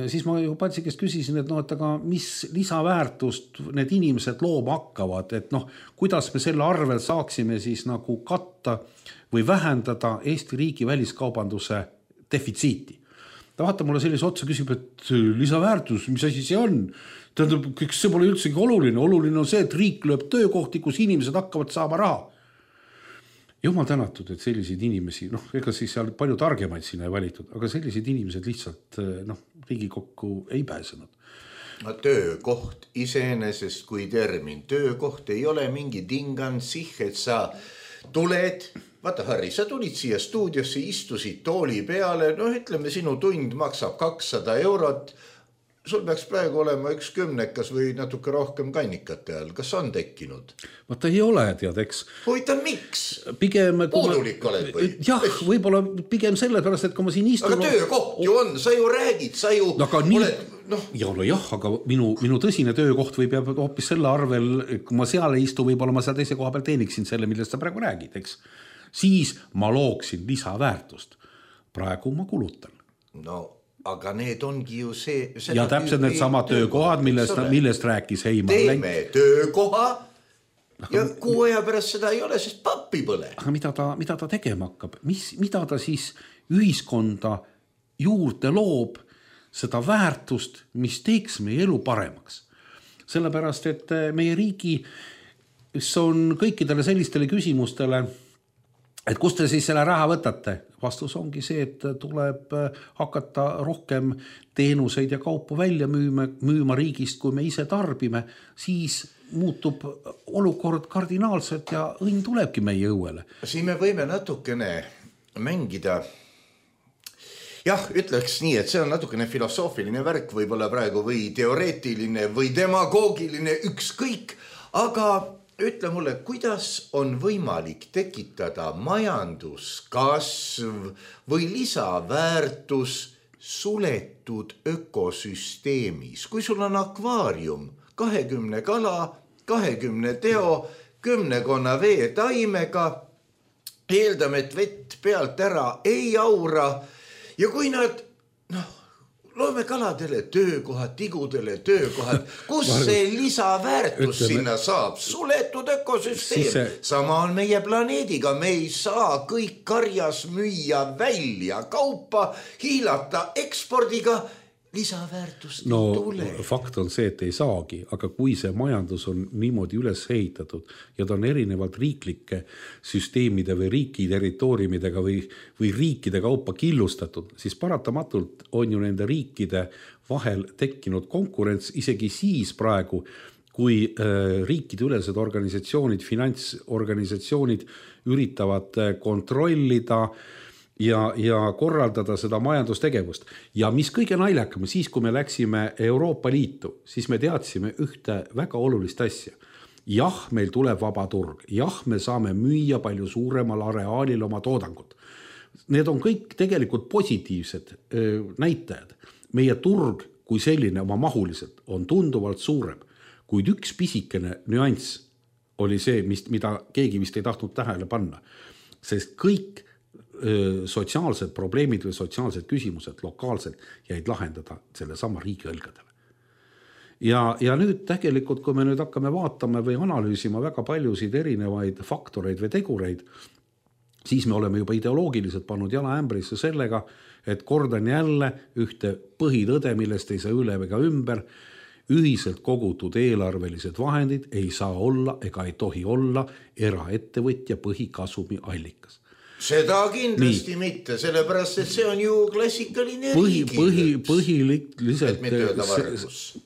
siis ma ju Patsi käest küsisin, et noh, et aga mis lisaväärtust need inimesed looma hakkavad, et noh, kuidas me selle arvel saaksime siis nagu katta või vähendada Eesti riigi väliskaubanduse defitsiiti. Ta vaata mulle sellise otsa küsib, et lisaväärtus, mis asi see on? Tähendab, see pole üldsegi oluline. Oluline on see, et riik lööb töökohti, kus inimesed hakkavad saama raha. Jumal tänatud, et selliseid inimesi, noh, ega siis seal palju targemaid sinna ei valitud, aga sellised inimesed lihtsalt noh, Riigikokku ei pääsenud. No, töökoht iseenesest kui termin. Töökoht ei ole mingi tingansih, et sa tuled... Vaata, Harri, sa tulid siia stuudiosse, istusid tooli peale, no ütleme, sinu tund maksab kakssada eurot. Sul peaks praegu olema üks kümnekas või natuke rohkem kannikate all. Kas on tekkinud? Vaata, ei ole, tead, eks. Huvitav, miks? Pigem... Puudulik oled või? Jah, võib-olla pigem selle pärast, et kui ma siin istun... Aga töökoht ju on, sa ju räägid, sa ju... No, aga nii... oled, no... Ja, no jah, aga minu, minu tõsine töökoht võib jääb hoopis selle arvel, kui ma seal ei istu, võib-olla ma seal teise koha peal teeniksin selle, millest sa praegu räägid, eks. Siis ma looksin lisaväärtust. Praegu ma kulutan. No, aga need ongi ju see... Ja täpselt need sama töökohad, millest, millest rääkis Heimar Lenk. Teeme töökoha ja kuu aja pärast seda ei ole, sest pappi põle. Aga mida ta, mida ta tegema hakkab? Mis, mida ta siis ühiskonda juurde loob seda väärtust, mis teeks meie elu paremaks? Sellepärast, et meie riigi on kõikidele sellistele küsimustele, et kust te siis selle raha võtate? Vastus ongi see, et tuleb hakata rohkem teenuseid ja kaupu välja müüma, müüma riigist, kui me ise tarbime, siis muutub olukord kardinaalselt ja õnn tulebki meie õuele. Siin me võime natukene mängida, jah, ütleks nii, et see on natukene filosoofiline värk, võib-olla praegu või teoreetiline või demagoogiline, ükskõik, aga ütle mulle, kuidas on võimalik tekitada majanduskasv või lisaväärtus suletud ökosüsteemis? Kui sul on akvaarium, kahekümne kala, kahekümne teo, kümnekonna vee taimega, eeldame, et vett pealt ära ei aura ja kui nad, noh, loome kaladele töökohad, tigudele töökohad, kus see lisaväärtus Ütleme, sinna saab? Suletud ökosüsteem. See... Sama on meie planeediga, me ei saa kõik karjas müüa välja kaupa, hiilata ekspordiga, lisaväärtust no, ei tule. Fakt on see, et ei saagi, aga kui see majandus on niimoodi üles ehitatud ja ta on erinevalt riiklike süsteemide või riiki territooriumidega või, või riikide kaupa killustatud, siis paratamatult on ju nende riikide vahel tekkinud konkurents isegi siis praegu, kui äh, riikide ülesed organisatsioonid, finantsorganisatsioonid üritavad kontrollida Ja, ja korraldada seda majandustegevust. Ja mis kõige naljakam, siis kui me läksime Euroopa Liitu, siis me teadsime ühte väga olulist asja. Jah, meil tuleb vaba turg. Jah, me saame müüa palju suuremal areaalil oma toodangut. Need on kõik tegelikult positiivsed öö, näitajad. Meie turg kui selline oma mahuliselt on tunduvalt suurem, kuid üks pisikene nüanss oli see, mis, mida keegi vist ei tahtnud tähele panna. Sest kõik sotsiaalsed probleemid või sotsiaalsed küsimused lokaalselt jäid lahendada selle sama riigi õlgadele. Ja, ja nüüd tegelikult, kui me nüüd hakkame vaatama või analüüsima väga paljusid erinevaid faktoreid või tegureid, siis me oleme juba ideoloogiliselt pannud jala ämbrisse sellega, et kordan jälle ühte põhitõde, millest ei saa üle ega ümber, ühiselt kogutud eelarvelised vahendid ei saa olla ega ei tohi olla eraettevõtja põhikasumi allikas. Seda kindlasti Nii. mitte, sellepärast, et see on ju klassikaline põhi, põhi, põhiliselt,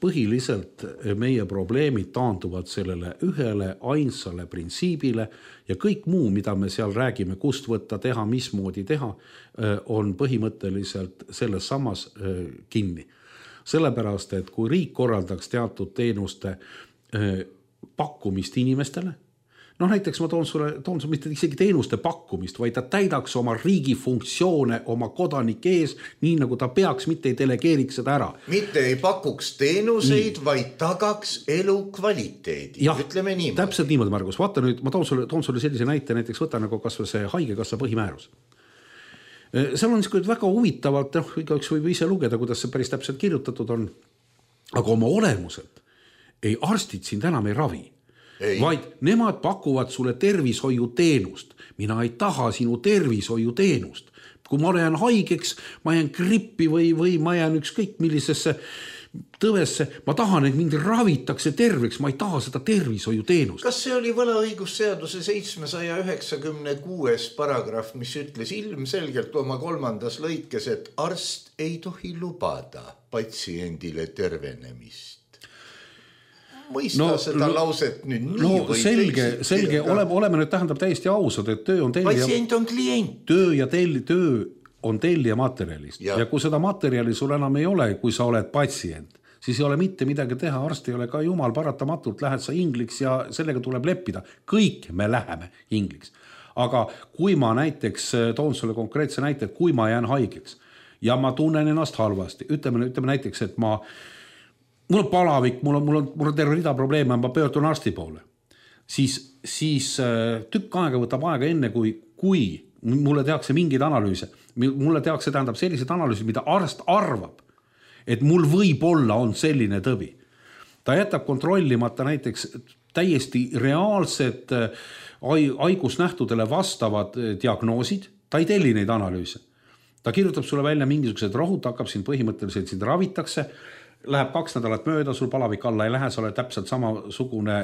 põhiliselt meie probleemid taanduvad sellele ühele ainsale printsiibile ja kõik muu, mida me seal räägime, kust võtta, teha, mismoodi teha, on põhimõtteliselt selles samas kinni. Sellepärast, et kui riik korraldaks teatud teenuste pakkumist inimestele, noh näiteks ma toon sulle, toon sulle mitte isegi teenuste pakkumist, vaid ta täidaks oma riigi funktsioone oma kodanike ees, nii nagu ta peaks, mitte ei delegeeriks seda ära. Mitte ei pakuks teenuseid, nii. Vaid tagaks elu kvaliteedi, ja, ütleme niimoodi. Täpselt niimoodi, Margus. Vaata nüüd, ma toon sulle, toon sulle sellise näite, näiteks võta nagu kas või see haigekassa põhimäärus. Seal on niisugune väga huvitavalt, noh, igaüks võib ise lugeda, kuidas see päris täpselt kirjutatud on, aga oma olemuselt ei arstid sind enam ei ravi. Ei. Vaid nemad pakuvad sulle tervishoiuteenust. Mina ei taha sinu tervishoiuteenust. Kui ma olen haigeks, ma jään grippi või, või ma jään ükskõik millisesse tõvesse, ma tahan, et mind ravitakse terveks, ma ei taha seda tervishoiuteenust. Kas see oli võlaõigusseaduse seitsmesaja üheksakümne kuues paragrahv, mis ütles ilmselgelt oma kolmandas lõikes, et arst ei tohi lubada patsiendile tervenemist? Mõista no, seda no, lauset nüüd nii no, või selge, selge, oleme, oleme nüüd tähendab täiesti ausad, et töö on tellija, patsient on klient. Töö ja telli, töö on tellija materjalist ja. ja kui seda materjali sul enam ei ole, kui sa oled patsient, siis ei ole mitte midagi teha, arst ei ole ka jumal, paratamatult lähed sa ingliks ja sellega tuleb leppida. Kõik me läheme ingliks. Aga kui ma näiteks toon sulle konkreetse näite, et kui ma jään haigeks ja ma tunnen ennast halvasti, ütleme, ütleme näiteks, et ma mul on palavik, mul on, mul on, mul on terve rida probleeme, ma pöördun arsti poole, siis, siis tükk aega võtab aega enne, kui, kui mulle tehakse mingeid analüüse. Mulle tehakse tähendab sellised analüüsid, mida arst arvab, et mul võib-olla on selline tõbi. Ta jätab kontrollimata näiteks täiesti reaalsed haigusnähtudele vastavad diagnoosid, ta ei telli neid analüüse. Ta kirjutab sulle välja mingisugused rohud, hakkab sind põhimõtteliselt sind ravitakse, läheb kaks nädalat mööda, sul palavik alla ei lähe, sa oled täpselt samasugune,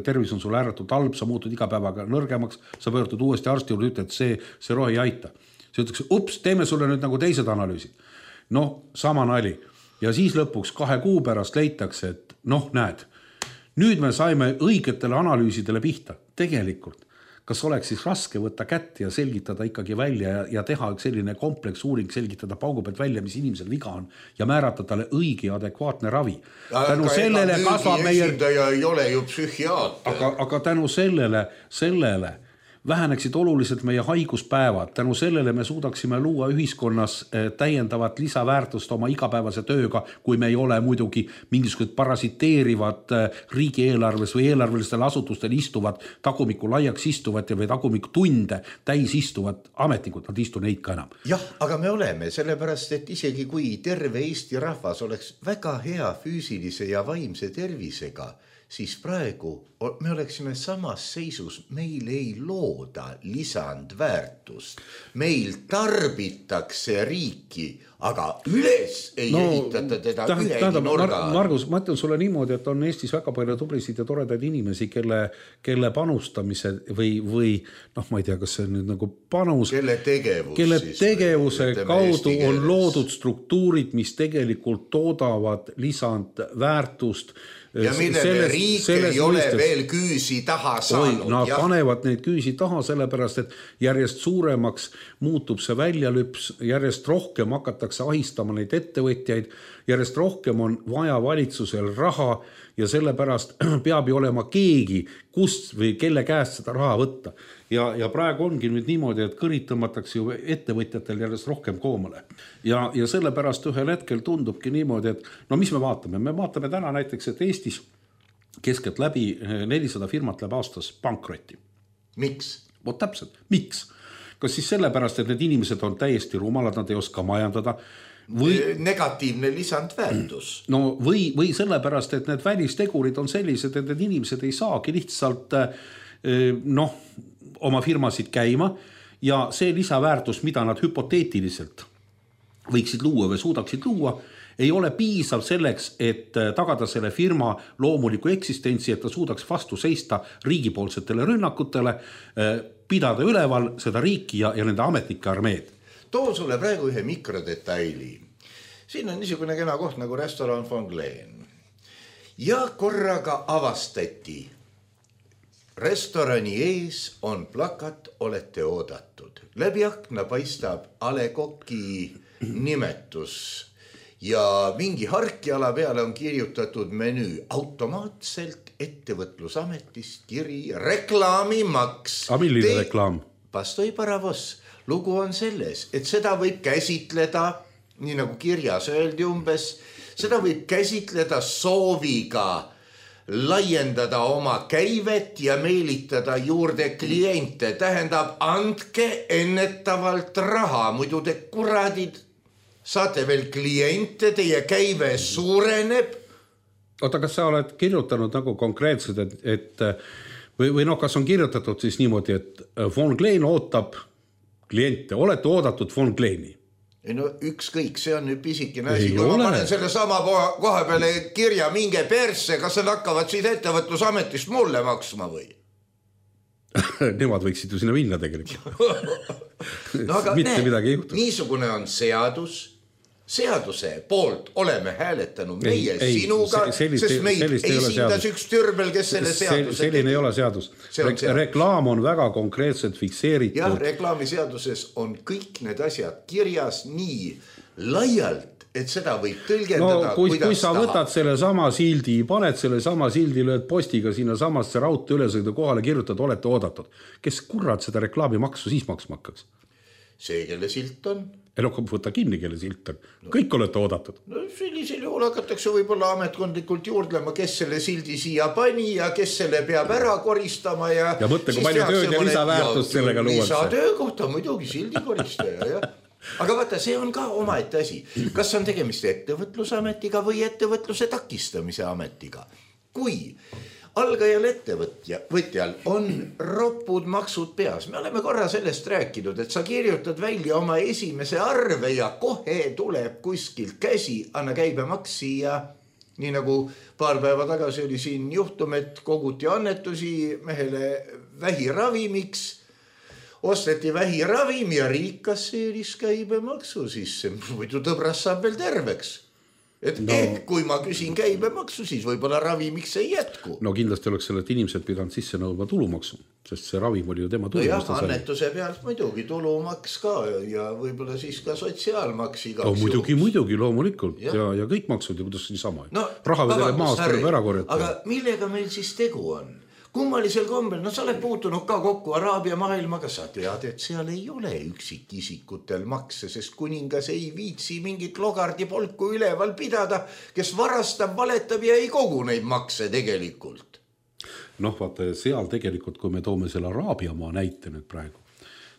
tervis on sul ääretult halb, sa muutud iga päevaga nõrgemaks, sa pöördud uuesti arsti juurde, ütled, et see, see rohi ei aita. See ütleks, ups, teeme sulle nüüd nagu teised analüüsid. Noh, sama nali. Ja siis lõpuks kahe kuu pärast leitakse, et noh, näed, nüüd me saime õigetele analüüsidele pihta. Tegelikult, kas oleks siis raske võtta kätt ja selgitada ikkagi välja ja, ja teha selline kompleks uuring, selgitada paugu pealt välja, mis inimesel viga on ja määrata talle õige ja adekvaatne ravi. Tänu sellele kasvab meie... ei ole ju psühhiaater. Aga, aga tänu sellele, sellele väheneksid oluliselt meie haiguspäevad. Tänu sellele me suudaksime luua ühiskonnas täiendavat lisaväärtust oma igapäevase tööga, kui me ei ole muidugi mingisugused parasiteerivad riigieelarves või eelarvelistel asutustel istuvad, tagumiku laiaks istuvad või tagumiku tunde täis istuvad ametnikud, nad istu neid ka enam. Jah, aga me oleme, sellepärast, et isegi kui terve Eesti rahvas oleks väga hea füüsilise ja vaimse tervisega, siis praegu me oleksime samas seisus, meil ei looda lisandväärtust. Meil tarbitakse riiki, aga üles ei no, ehitata teda tähend, ühegi tähendab, nurga. Margus, ma ütlen sulle niimoodi, et on Eestis väga palju tublisid ja toredaid inimesi, kelle, kelle panustamise või, või noh, ma ei tea, kas see on nüüd nagu panus, kelle tegevus, kelle siis, tegevuse kaudu on loodud struktuurid, mis tegelikult toodavad lisandväärtust. Ja millele riik ei ole mõistes, veel küüsi taha saanud. Oi, nad ja. panevad neid küüsi taha, sellepärast, et järjest suuremaks muutub see väljalüps, järjest rohkem hakatakse ahistama neid ettevõtjaid, järjest rohkem on vaja valitsusel raha ja sellepärast peab ju olema keegi, kust või kelle käest seda raha võtta. Ja, ja praegu ongi nüüd niimoodi, et kõrid tõmmatakse ju ettevõtjatel järjest rohkem koomale. Ja, ja sellepärast ühel hetkel tundubki niimoodi, et no mis me vaatame? Me vaatame täna näiteks, et Eestis keskelt läbi nelisada firmat läheb aastas pankrotti. Miks? Vot täpselt, miks? Kas siis sellepärast, et need inimesed on täiesti rumalad, nad ei oska majandada, või negatiivne lisandväärtus. No või, või sellepärast, et need välistegurid on sellised, et need inimesed ei saagi lihtsalt noh, oma firmasid käima ja see lisaväärtus, mida nad hüpoteetiliselt võiksid luua või suudaksid luua, ei ole piisav selleks, et tagada selle firma loomuliku eksistentsi, et ta suudaks vastu seista riigipoolsetele rünnakutele, pidada üleval seda riiki ja, ja nende ametnike armeed. Toon sulle praegu ühe mikrodetaili. Siin on niisugune kena koht nagu restoran Fongleen. Ja korraga avastati. Restorani ees on plakat, olete oodatud. Läbi akna paistab A Le Coq'i nimetus. ja mingi harkjala peale on kirjutatud menüü automaatselt ettevõtlusametist kiri reklaamimaks. A milline Te... reklaam? Pastoi paravos. Lugu on selles, et seda võib käsitleda, nii nagu kirjas öeldi umbes, seda võib käsitleda sooviga laiendada oma käivet ja meelitada juurde kliente. Tähendab, andke ennetavalt raha, muidu te kuradid saate veel kliente, teie käive suureneb. Oota, kas sa oled kirjutanud nagu konkreetselt, et, et või, või noh, kas on kirjutatud siis niimoodi, et Von Klein ootab kliente, olete oodatud Von Kleini? Ei no ükskõik, see on nüüd pisikene asi, kui ma panen selle sama koha peale kirja minge persse, kas nad hakkavad siis ettevõtlusametist mulle maksma või? Nemad võiksid ju sinna minna tegelikult. No aga mitte ne, midagi ei juhtu. Niisugune on seadus. Seaduse poolt oleme hääletanud meie ei, sinuga, ei, sellist, sest meid esindas üks türbel, kes selle seaduse selline tegi. Ei ole seadus. Re seadus. Reklaam on väga konkreetselt fikseeritud. Jah, reklaamiseaduses on kõik need asjad kirjas nii laialt, et seda võib tõlgendada, no, kui, kuidas kui sa tahab. Võtad selle sama sildi, paned selle sama sildi, lööd postiga sinna samasse raudte ülesõidu kohale, kirjutad, olete oodatud. Kes kurad seda reklaamimaksu siis maksma hakkaks? See, kelle silt on. Ei no, võta kinni, kelle silt on. No. Kõik olete oodatud. No sellisel juhul hakatakse võib-olla ametkondlikult juurdlema, kes selle sildi siia pani ja kes selle peab ära koristama. Ja, ja mõtle, kui palju tööd ja lisaväärtust sellega luuakse. Lisatöökohta muidugi sildi koristaja, jah. Aga vaata, see on ka omaette asi. Kas on tegemist ettevõtlusametiga või ettevõtluse takistamise ametiga? Kui algajal ettevõtjal on ropud maksud peas. Me oleme korra sellest rääkinud, et sa kirjutad välja oma esimese arve ja kohe tuleb kuskilt käsi, anna käibemaksi ja nii nagu paar päeva tagasi oli siin juhtum, et koguti annetusi mehele vähiravimiks, osteti vähiravim ja riik kasseeris käibemaksu sisse, muidu tõbras saab veel terveks. Et no, ehk kui ma küsin käibemaksu, siis võib-olla ravimiks ei jätku. No kindlasti oleks sellelt inimesed pidanud sisse nõudma tulumaksu, sest see ravim oli ju tema tulumaks. No jah, annetuse pealt muidugi tulumaks ka ja võib-olla siis ka sotsiaalmaks igaks no, muidugi, juhus. Muidugi, loomulikult ja, ja, ja kõik maksud ja kuidas nii sama. No, raha vedele maast tuleb ära korjata. Aga millega meil siis tegu on? Kummalisel kombel, no sa oled puutunud ka kokku Araabia maailmaga, sa tead, et seal ei ole üksikisikutel makse, sest kuningas ei viitsi mingit logardi polku üleval pidada, kes varastab, valetab ja ei kogu neid makse tegelikult. Noh, vaata, seal tegelikult, kui me toome selle Araabia maa näite nüüd praegu,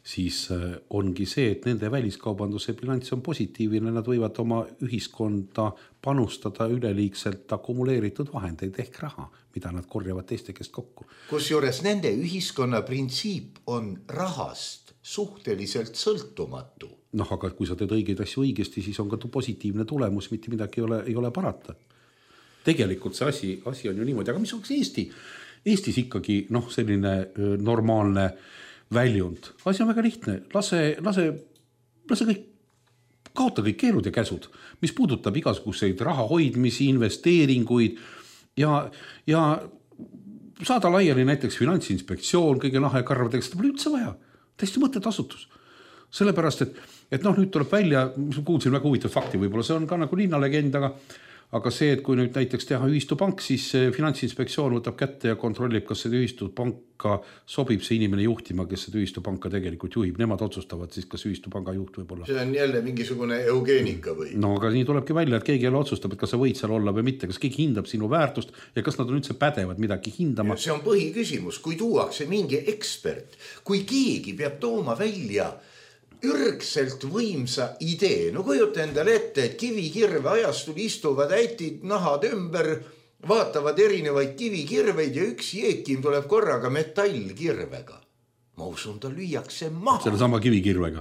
siis ongi see, et nende väliskaubanduse bilanss on positiivne, nad võivad oma ühiskonda panustada üleliigselt akumuleeritud vahendeid ehk raha, mida nad korjavad teiste käest kokku. Kusjuures nende ühiskonna printsiip on rahast suhteliselt sõltumatu. Noh, aga kui sa teed õigeid asju õigesti, siis on ka positiivne tulemus, mitte midagi ei ole, ei ole parata. Tegelikult see asi, asi on ju niimoodi, aga mis oleks Eesti? Eestis ikkagi noh, selline normaalne väljund. Asi on väga lihtne. Lase, lase, lase kõik, kaota kõik keelud ja käsud, mis puudutab igasuguseid raha hoidmisi, investeeringuid ja, ja saada laiali näiteks Finantsinspektsioon, kõige lahe karvadega, seda pole üldse vaja. Täiesti mõtted asutus. Sellepärast, et, et noh, nüüd tuleb välja, mis ma kuulsin väga huvitav fakti, võib-olla see on ka nagu linnalegend, aga Aga see, et kui nüüd näiteks teha ühistupank, siis Finantsinspektsioon võtab kätte ja kontrollib, kas see ühistupanka sobib see inimene juhtima, kes see ühistupanka tegelikult juhib. Nemad otsustavad siis, kas ühistupanga juht võib olla. See on jälle mingisugune eugeenika või? No aga nii tulebki välja, et keegi jälle otsustab, et kas sa võid seal olla või mitte, kas keegi hindab sinu väärtust ja kas nad on üldse pädevad midagi hindama. See on põhiküsimus, kui tuuakse mingi ekspert, kui keegi peab tooma välja ürgselt võimsa idee. No kujuta endale ette, et kivikirve ajastul istuvad äitid nahad ümber, vaatavad erinevaid kivikirveid ja üks jeekim tuleb korraga metallkirvega. Ma usun, ta lüüakse maha. Selle sama kivikirvega.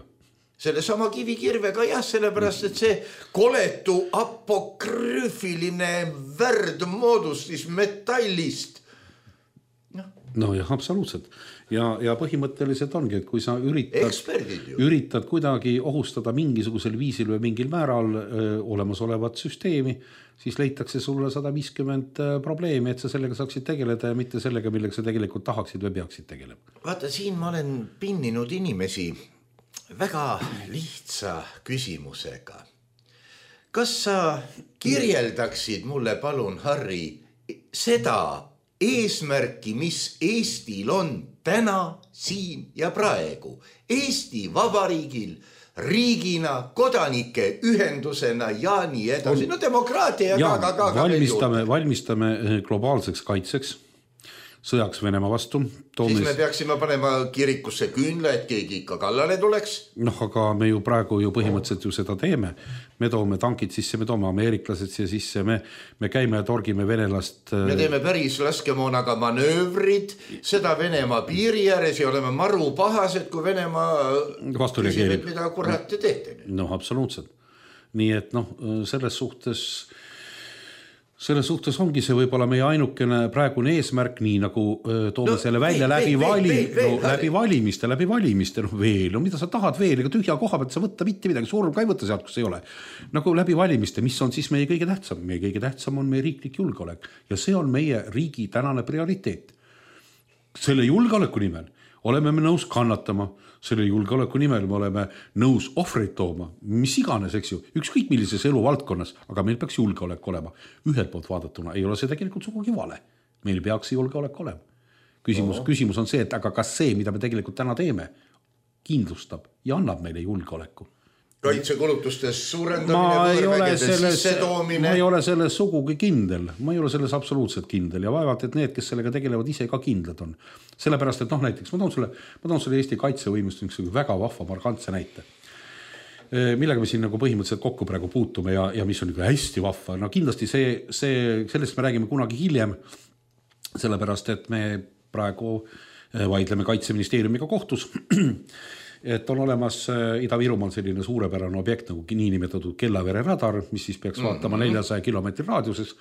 Selle sama kivikirvega, jah, sellepärast, et see koletu apokrüüfiline värdmoodustis metallist. No jah, absoluutselt. Ja, ja põhimõtteliselt ongi, et kui sa üritad, üritad kuidagi ohustada mingisugusel viisil või mingil määral öö, olemasolevat süsteemi, siis leitakse sulle sada viiskümmend probleemi, et sa sellega saaksid tegeleda ja mitte sellega, millega sa tegelikult tahaksid või peaksid tegelema. Vaata, siin ma olen pinninud inimesi väga lihtsa küsimusega. kas sa kirjeldaksid mulle palun, Harri, seda eesmärki, mis Eestil on täna, siin ja praegu, Eesti Vabariigil, riigina, kodanike ühendusena ja nii edasi. No demokraatia ja, ja ka, ka, ka valmistame, valmistame globaalseks kaitseks, sõjaks Venemaa vastu. Toomes... Siis me peaksime panema kirikusse küünla, et keegi ikka kallale tuleks. Noh, aga me ju praegu ju põhimõtteliselt ju seda teeme. Me toome tankid sisse, me toome ameeriklased siia sisse, me, me käime ja torgime venelast. Me teeme päris laskemoonaga manöövrid, seda Venemaa piiri ääres ja oleme maru pahased, kui Venemaa küsib, mida kurat te teete. Noh, absoluutselt. Nii et noh, selles suhtes... Selles suhtes ongi see võib-olla meie ainukene praegune eesmärk, nii nagu öö, toome no, selle välja vei, läbi, vei, vali, vei, vei, no, läbi valimiste, läbi valimiste, no veel, no mida sa tahad veel, ega tühja koha pealt sa võtta mitte midagi, surm ka ei võtta sealt, kus ei ole. Nagu läbi valimiste, mis on siis meie kõige tähtsam? Meie kõige tähtsam on meie riiklik julgeolek ja see on meie riigi tänane prioriteet. Selle julgeoleku nimel oleme me nõus kannatama, selle julgeoleku nimel me oleme nõus ohvreid tooma, mis iganes, eks ju, ükskõik millises elu valdkonnas, aga meil peaks julgeolek olema. Ühelt poolt vaadatuna ei ole see tegelikult sugugi vale. Meil peaks julgeolek olema. Küsimus, no. küsimus on see, et aga kas see, mida me tegelikult täna teeme, kindlustab ja annab meile julgeoleku. Kaitsekulutustes suurendamine, võõrvägede sissetoomine. Ma ei ole selles sugugi kindel, ma ei ole selles absoluutselt kindel ja vaevalt, et need, kes sellega tegelevad, ise ka kindlad on. Sellepärast, et noh, näiteks ma toon selle, ma toon selle Eesti kaitsevõimust väga vahva markantse näite, millega me siin nagu põhimõtteliselt kokku praegu puutume ja, ja mis on nagu hästi vahva. No kindlasti see, see, sellest me räägime kunagi hiljem, sellepärast, et me praegu vaidleme Kaitseministeeriumiga kohtus, et on olemas Ida-Virumaal selline suurepärane objekt nagu niinimetatud Kellavere radar, mis siis peaks vaatama neljasaja kilomeetri raadiuses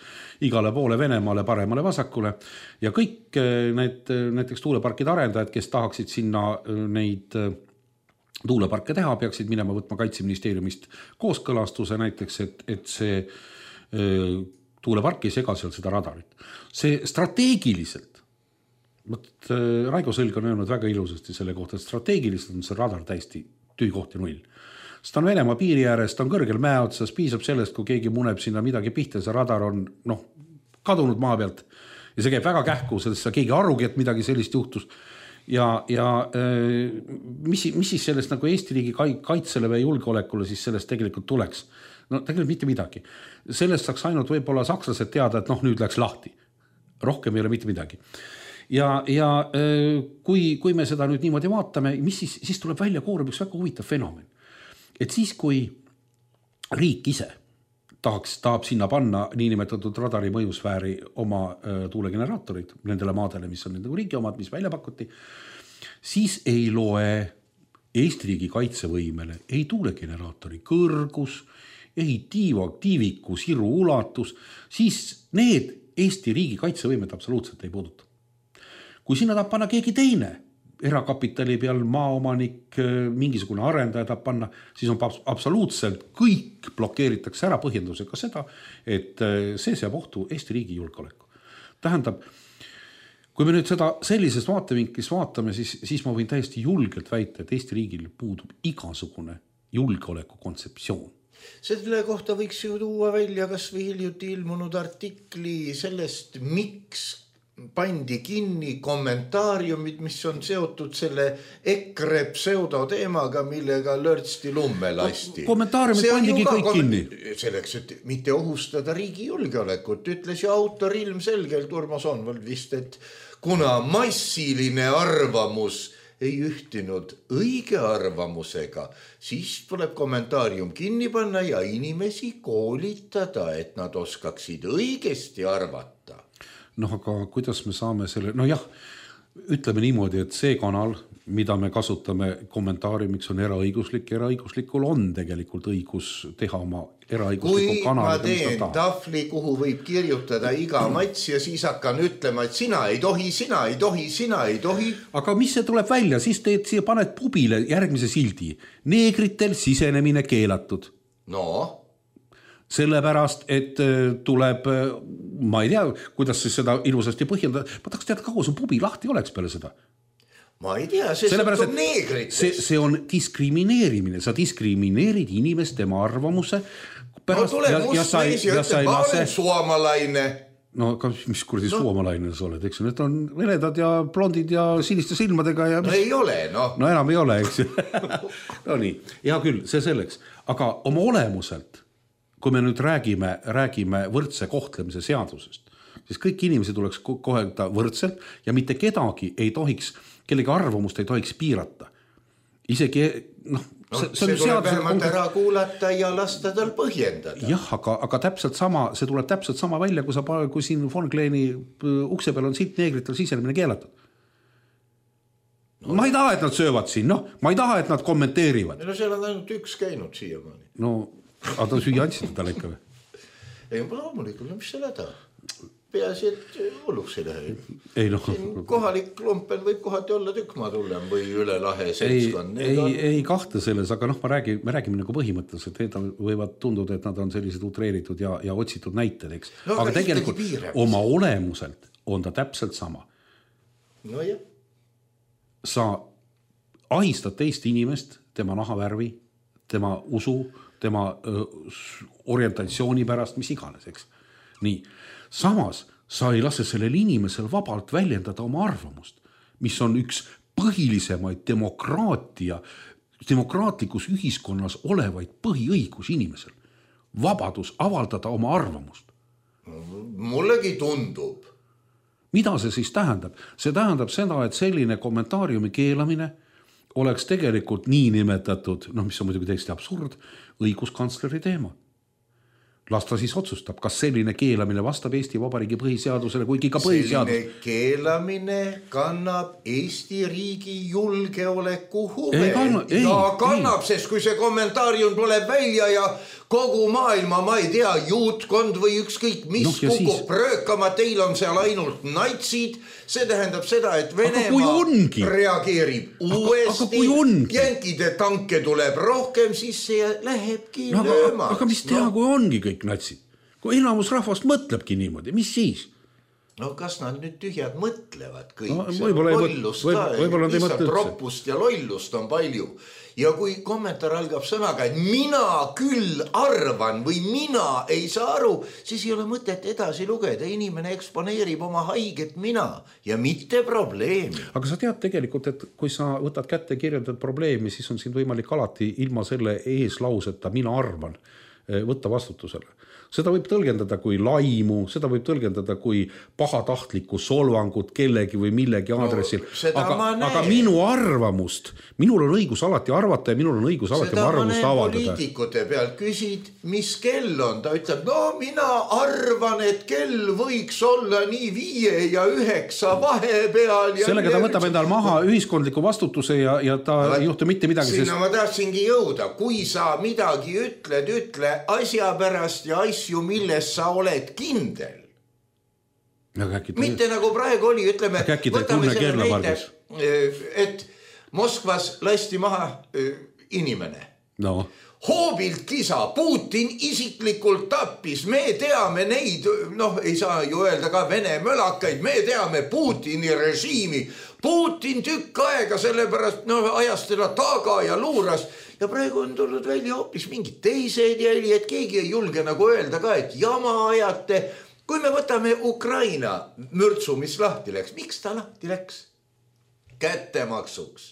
igale poole Venemaale, paremale, vasakule ja kõik need näiteks tuuleparkide arendajad, kes tahaksid sinna neid tuuleparke teha, peaksid minema võtma Kaitseministeeriumist kooskõlastuse näiteks, et, et see tuulepark ei sega seal seda radarit. See strateegiliselt Mõt, Raigo Sõlg on öelnud väga ilusasti selle kohta, et strateegiliselt on see radar täiesti tüü koht ja null. Sest on Venemaa piiri ääres, ta on kõrgel mäe otsas, piisab sellest, kui keegi muneb sinna midagi pihta, see radar on noh, kadunud maa pealt ja see käib väga kähku, sellest sa keegi arugi, et midagi sellist juhtus. Ja, ja mis, mis siis sellest nagu Eesti riigi kaitsele või julgeolekule siis sellest tegelikult tuleks? No tegelikult mitte midagi. Sellest saaks ainult võib-olla sakslased teada, et noh, nüüd läks lahti. Rohkem ei ole mitte midagi. Ja, ja kui, kui me seda nüüd niimoodi vaatame, mis siis, siis tuleb välja koorub üks väga huvitav fenomen. Et siis, kui riik ise tahaks, tahab sinna panna niinimetatud radari mõjusfääri oma tuulegeneraatorid nendele maadele, mis on nende riigi omad, mis välja pakuti, siis ei loe Eesti riigi kaitsevõimele ei tuulegeneraatori kõrgus, ei tiiva, tiiviku, siru ulatus, siis need Eesti riigi kaitsevõimed absoluutselt ei puuduta. Kui sinna tahab panna keegi teine, erakapitali peal maaomanik, mingisugune arendaja tahab panna, siis on absoluutselt kõik blokeeritakse ära põhjendusega seda, et see seab ohtu Eesti riigi julgeoleku. Tähendab, kui me nüüd seda sellisest vaatevinklis vaatame, siis, siis ma võin täiesti julgelt väita, et Eesti riigil puudub igasugune julgeoleku kontseptsioon. Selle kohta võiks ju tuua välja kas või hiljuti ilmunud artikli sellest, miks pandi kinni kommentaariumid, mis on seotud selle EKRE pseudoteemaga, millega lörtsti lumme lasti. Kommentaariumid pandigi kõik kinni. Selleks, et mitte ohustada riigi julgeolekut, ütles ju autor ilmselgelt Urmas Onvald vist, et kuna massiline arvamus ei ühtinud õige arvamusega, siis tuleb kommentaarium kinni panna ja inimesi koolitada, et nad oskaksid õigesti arvata. Noh, aga kuidas me saame selle, no jah, ütleme niimoodi, et see kanal, mida me kasutame kommentaariumiks, on eraõiguslik. Eraõiguslikul on tegelikult õigus teha oma eraõiguslikku kanal. Kui ma teen tafli, kuhu võib kirjutada iga mats ja siis hakkan ütlema, et sina ei tohi, sina ei tohi, sina ei tohi. Aga mis see tuleb välja? Siis teed siia paned pubile järgmise sildi. Neegritel sisenemine keelatud. No... Sellepärast, et tuleb, ma ei tea, kuidas siis seda ilusasti põhjendada. Ma tahaks teada, kaua su pubi lahti oleks peale seda. Ma ei tea, see sõltub neegritest. See, see on diskrimineerimine. Sa diskrimineerid inimest tema arvamuse no tuleb must mees ja ütleb, ma olen suomalaine. No aga mis kuradi no. Suomalaine sa oled, eks need on venedad ja blondid ja siniste silmadega ja mis... no ei ole, no. No enam ei ole, eks no nii, hea küll, see selleks, aga oma olemuselt, kui me nüüd räägime, räägime võrdse kohtlemise seadusest, siis kõik inimesed tuleks kohelda võrdselt ja mitte kedagi ei tohiks, kellegi arvamust ei tohiks piirata. Isegi, noh, no, see, see, see tuleb vähemalt ära kuulata ja lasta tal põhjendada. Jah, aga, aga täpselt sama, see tuleb täpselt sama välja, kui, sa, kui siin Von Kleeni ukse peal on siit neegritel sisenemine keelatud. No. Ma ei taha, et nad söövad siin, noh, ma ei taha, et nad kommenteerivad. No seal on ainult üks käinud siiamaani. No, aga ta süüa andsid talle ikka või? Ei, ma loomulikult, no mis selle taha? Peaasi, et hulluks ei lähe. Ei, no. Kohalik lumpen võib kohati olla tükma tullem või üle lahe seltskond. Ei, ei, ei kahte selles, aga noh, ma räägin, me räägime nagu põhimõtteliselt, et need võivad tunduda, et nad on sellised utreeritud ja, ja otsitud näited, eks. No, aga, aga tegelikult oma olemuselt on ta täpselt sama. No jah. Sa ahistad teist inimest, tema nahavärvi, tema usu, tema öö, orientatsiooni pärast, mis iganes, eks. Nii. Samas sa ei lase sellel inimesel vabalt väljendada oma arvamust, mis on üks põhilisemaid demokraatia, demokraatlikus ühiskonnas olevaid põhiõigus inimesel. Vabadus avaldada oma arvamust. Mullegi tundub. Mida see siis tähendab? See tähendab seda, et selline kommentaariumi keelamine oleks tegelikult nii nimetatud, noh, mis on muidugi täiesti absurd, õiguskantsleri teema. Las ta siis otsustab, kas selline keelamine vastab Eesti Vabariigi põhiseadusele, kuigi ka põhiseadus. Selline keelamine kannab Eesti riigi julgeoleku huve. Ei kanna, ei, ja kannab, ei. Sest kui see kommentaarium tuleb välja ja kogu maailma, ma ei tea, juutkond või ükskõik mis no, kukub siis... pröökama, teil on seal ainult natsid, see tähendab seda, et Venemaa reageerib uuesti, jänkide tanke tuleb rohkem, siis see lähebki no, lööma. Aga mis teha, no. Kui ongi kõik natsid? Kui enamus rahvast mõtlebki niimoodi, mis siis? No kas nad nüüd tühjad mõtlevad kõik? No, võib-olla lollust võib, ka, võib, lihtsalt roppust ja lollust on palju. Ja kui kommentaar algab sõnaga, et mina küll arvan või mina ei saa aru, siis ei ole mõtet edasi lugeda. Inimene eksponeerib oma haiget mina ja mitte probleemi. Aga sa tead tegelikult, et kui sa võtad kätte ja kirjeldad probleemi, siis on siin võimalik alati ilma selle eeslauseta mina arvan võtta vastutusele. Seda võib tõlgendada kui laimu, seda võib tõlgendada kui pahatahtlikku solvangut kellegi või millegi aadressil. No, aga, aga minu arvamust, minul on õigus alati arvata ja minul on õigus alati seda arvamust avaldada. Seda poliitikute pealt küsid, mis kell on. Ta ütleb, no mina arvan, et kell võiks olla nii viie ja üheksa vahepeal. Ja sellega ta võtab endal maha ühiskondliku vastutuse ja, ja ta no, ei juhtu mitte midagi. Sinna sest... ma tahtsingi jõuda. Kui sa midagi ütled, ütle asja pärast ja asja asju, milles sa oled kindel. Mitte nagu praegu oli, ütleme, võtame selle näite, et Moskvas lasti maha inimene. No. Hoobilt kisa, Putin isiklikult tappis, me teame neid, noh, ei saa ju öelda ka Vene mölakaid, me teame Putini režiimi. Putin tükk aega sellepärast, no ajas teda taga ja luuras. Ja praegu on tulnud välja hoopis mingid teised jäli, et keegi ei julge nagu öelda ka, et jama ajate. Kui me võtame Ukraina mürtsu, mis lahti läks, miks ta lahti läks? Kättemaksuks.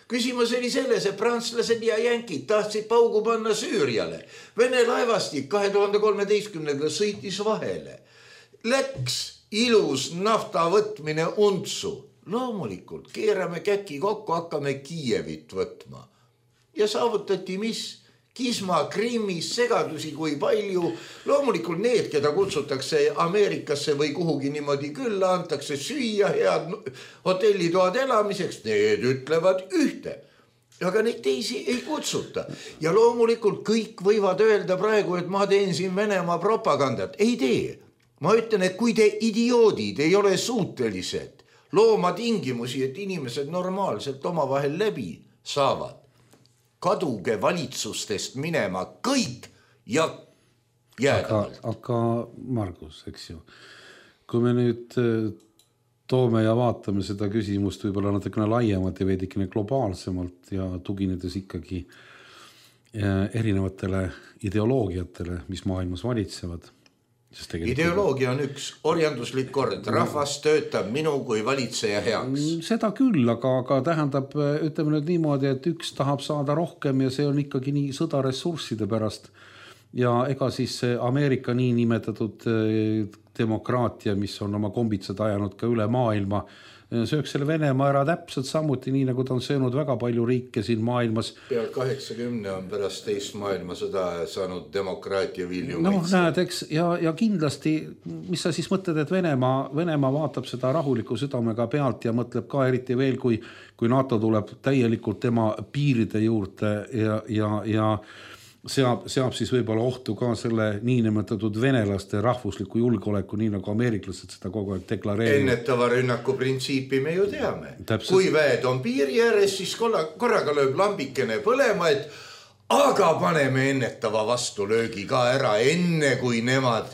Küsimus oli selles, et prantslased ja jänkid tahtsid paugu panna Süüriale. Vene laevastik kahe tuhande kolmeteistkümnendal sõitis vahele. Läks ilus nafta võtmine untsu. Loomulikult, keerame käki kokku, hakkame Kiievit võtma. Ja saavutati mis? Kisma, Krimmis, segadusi kui palju. Loomulikult need, keda kutsutakse Ameerikasse või kuhugi niimoodi külla, antakse süüa head hotellitoad elamiseks, need ütlevad ühte. Aga neid teisi ei kutsuta. Ja loomulikult kõik võivad öelda praegu, et ma teen siin Venemaa propagandat. Ei tee. Ma ütlen, et kui te idioodid ei ole suutelised looma tingimusi, et inimesed normaalselt omavahel läbi saavad, kaduge valitsustest minema kõik ja jäädavalt. Aga, aga Margus, eks ju, kui me nüüd toome ja vaatame seda küsimust võib-olla natukene laiemalt ja veidikene globaalsemalt ja tuginedes ikkagi, erinevatele ideoloogiatele, mis maailmas valitsevad. Ideoloogia on üks orjanduslik kord, rahvas töötab minu kui valitseja heaks. Seda küll, aga, aga tähendab, ütleme nüüd niimoodi, et üks tahab saada rohkem ja see on ikkagi nii sõda ressursside pärast. Ja ega siis Ameerika nii nimetatud demokraatia, mis on oma kombitsad ajanud ka üle maailma, sööks selle Venemaa ära täpselt samuti, nii nagu ta on söönud väga palju riike siin maailmas. Peal kaheksakümne on pärast teist maailmasõda saanud demokraatia vilju no, maitse. Näed, eks, ja, ja kindlasti, mis sa siis mõtled, et Venemaa, Venemaa vaatab seda rahuliku südamega pealt ja mõtleb ka eriti veel, kui, kui NATO tuleb täielikult tema piiride juurde ja, ja, ja seab, seab siis võib-olla ohtu ka selle niinimetatud venelaste rahvusliku julgeoleku, nii nagu ameeriklased seda kogu aeg deklareerivad. Ennetava rünnaku printsiipi me ju teame. Täpselt. Kui väed on piiri ääres, siis korraga lööb lambikene põlema, et aga paneme ennetava vastulöögi ka ära enne, kui nemad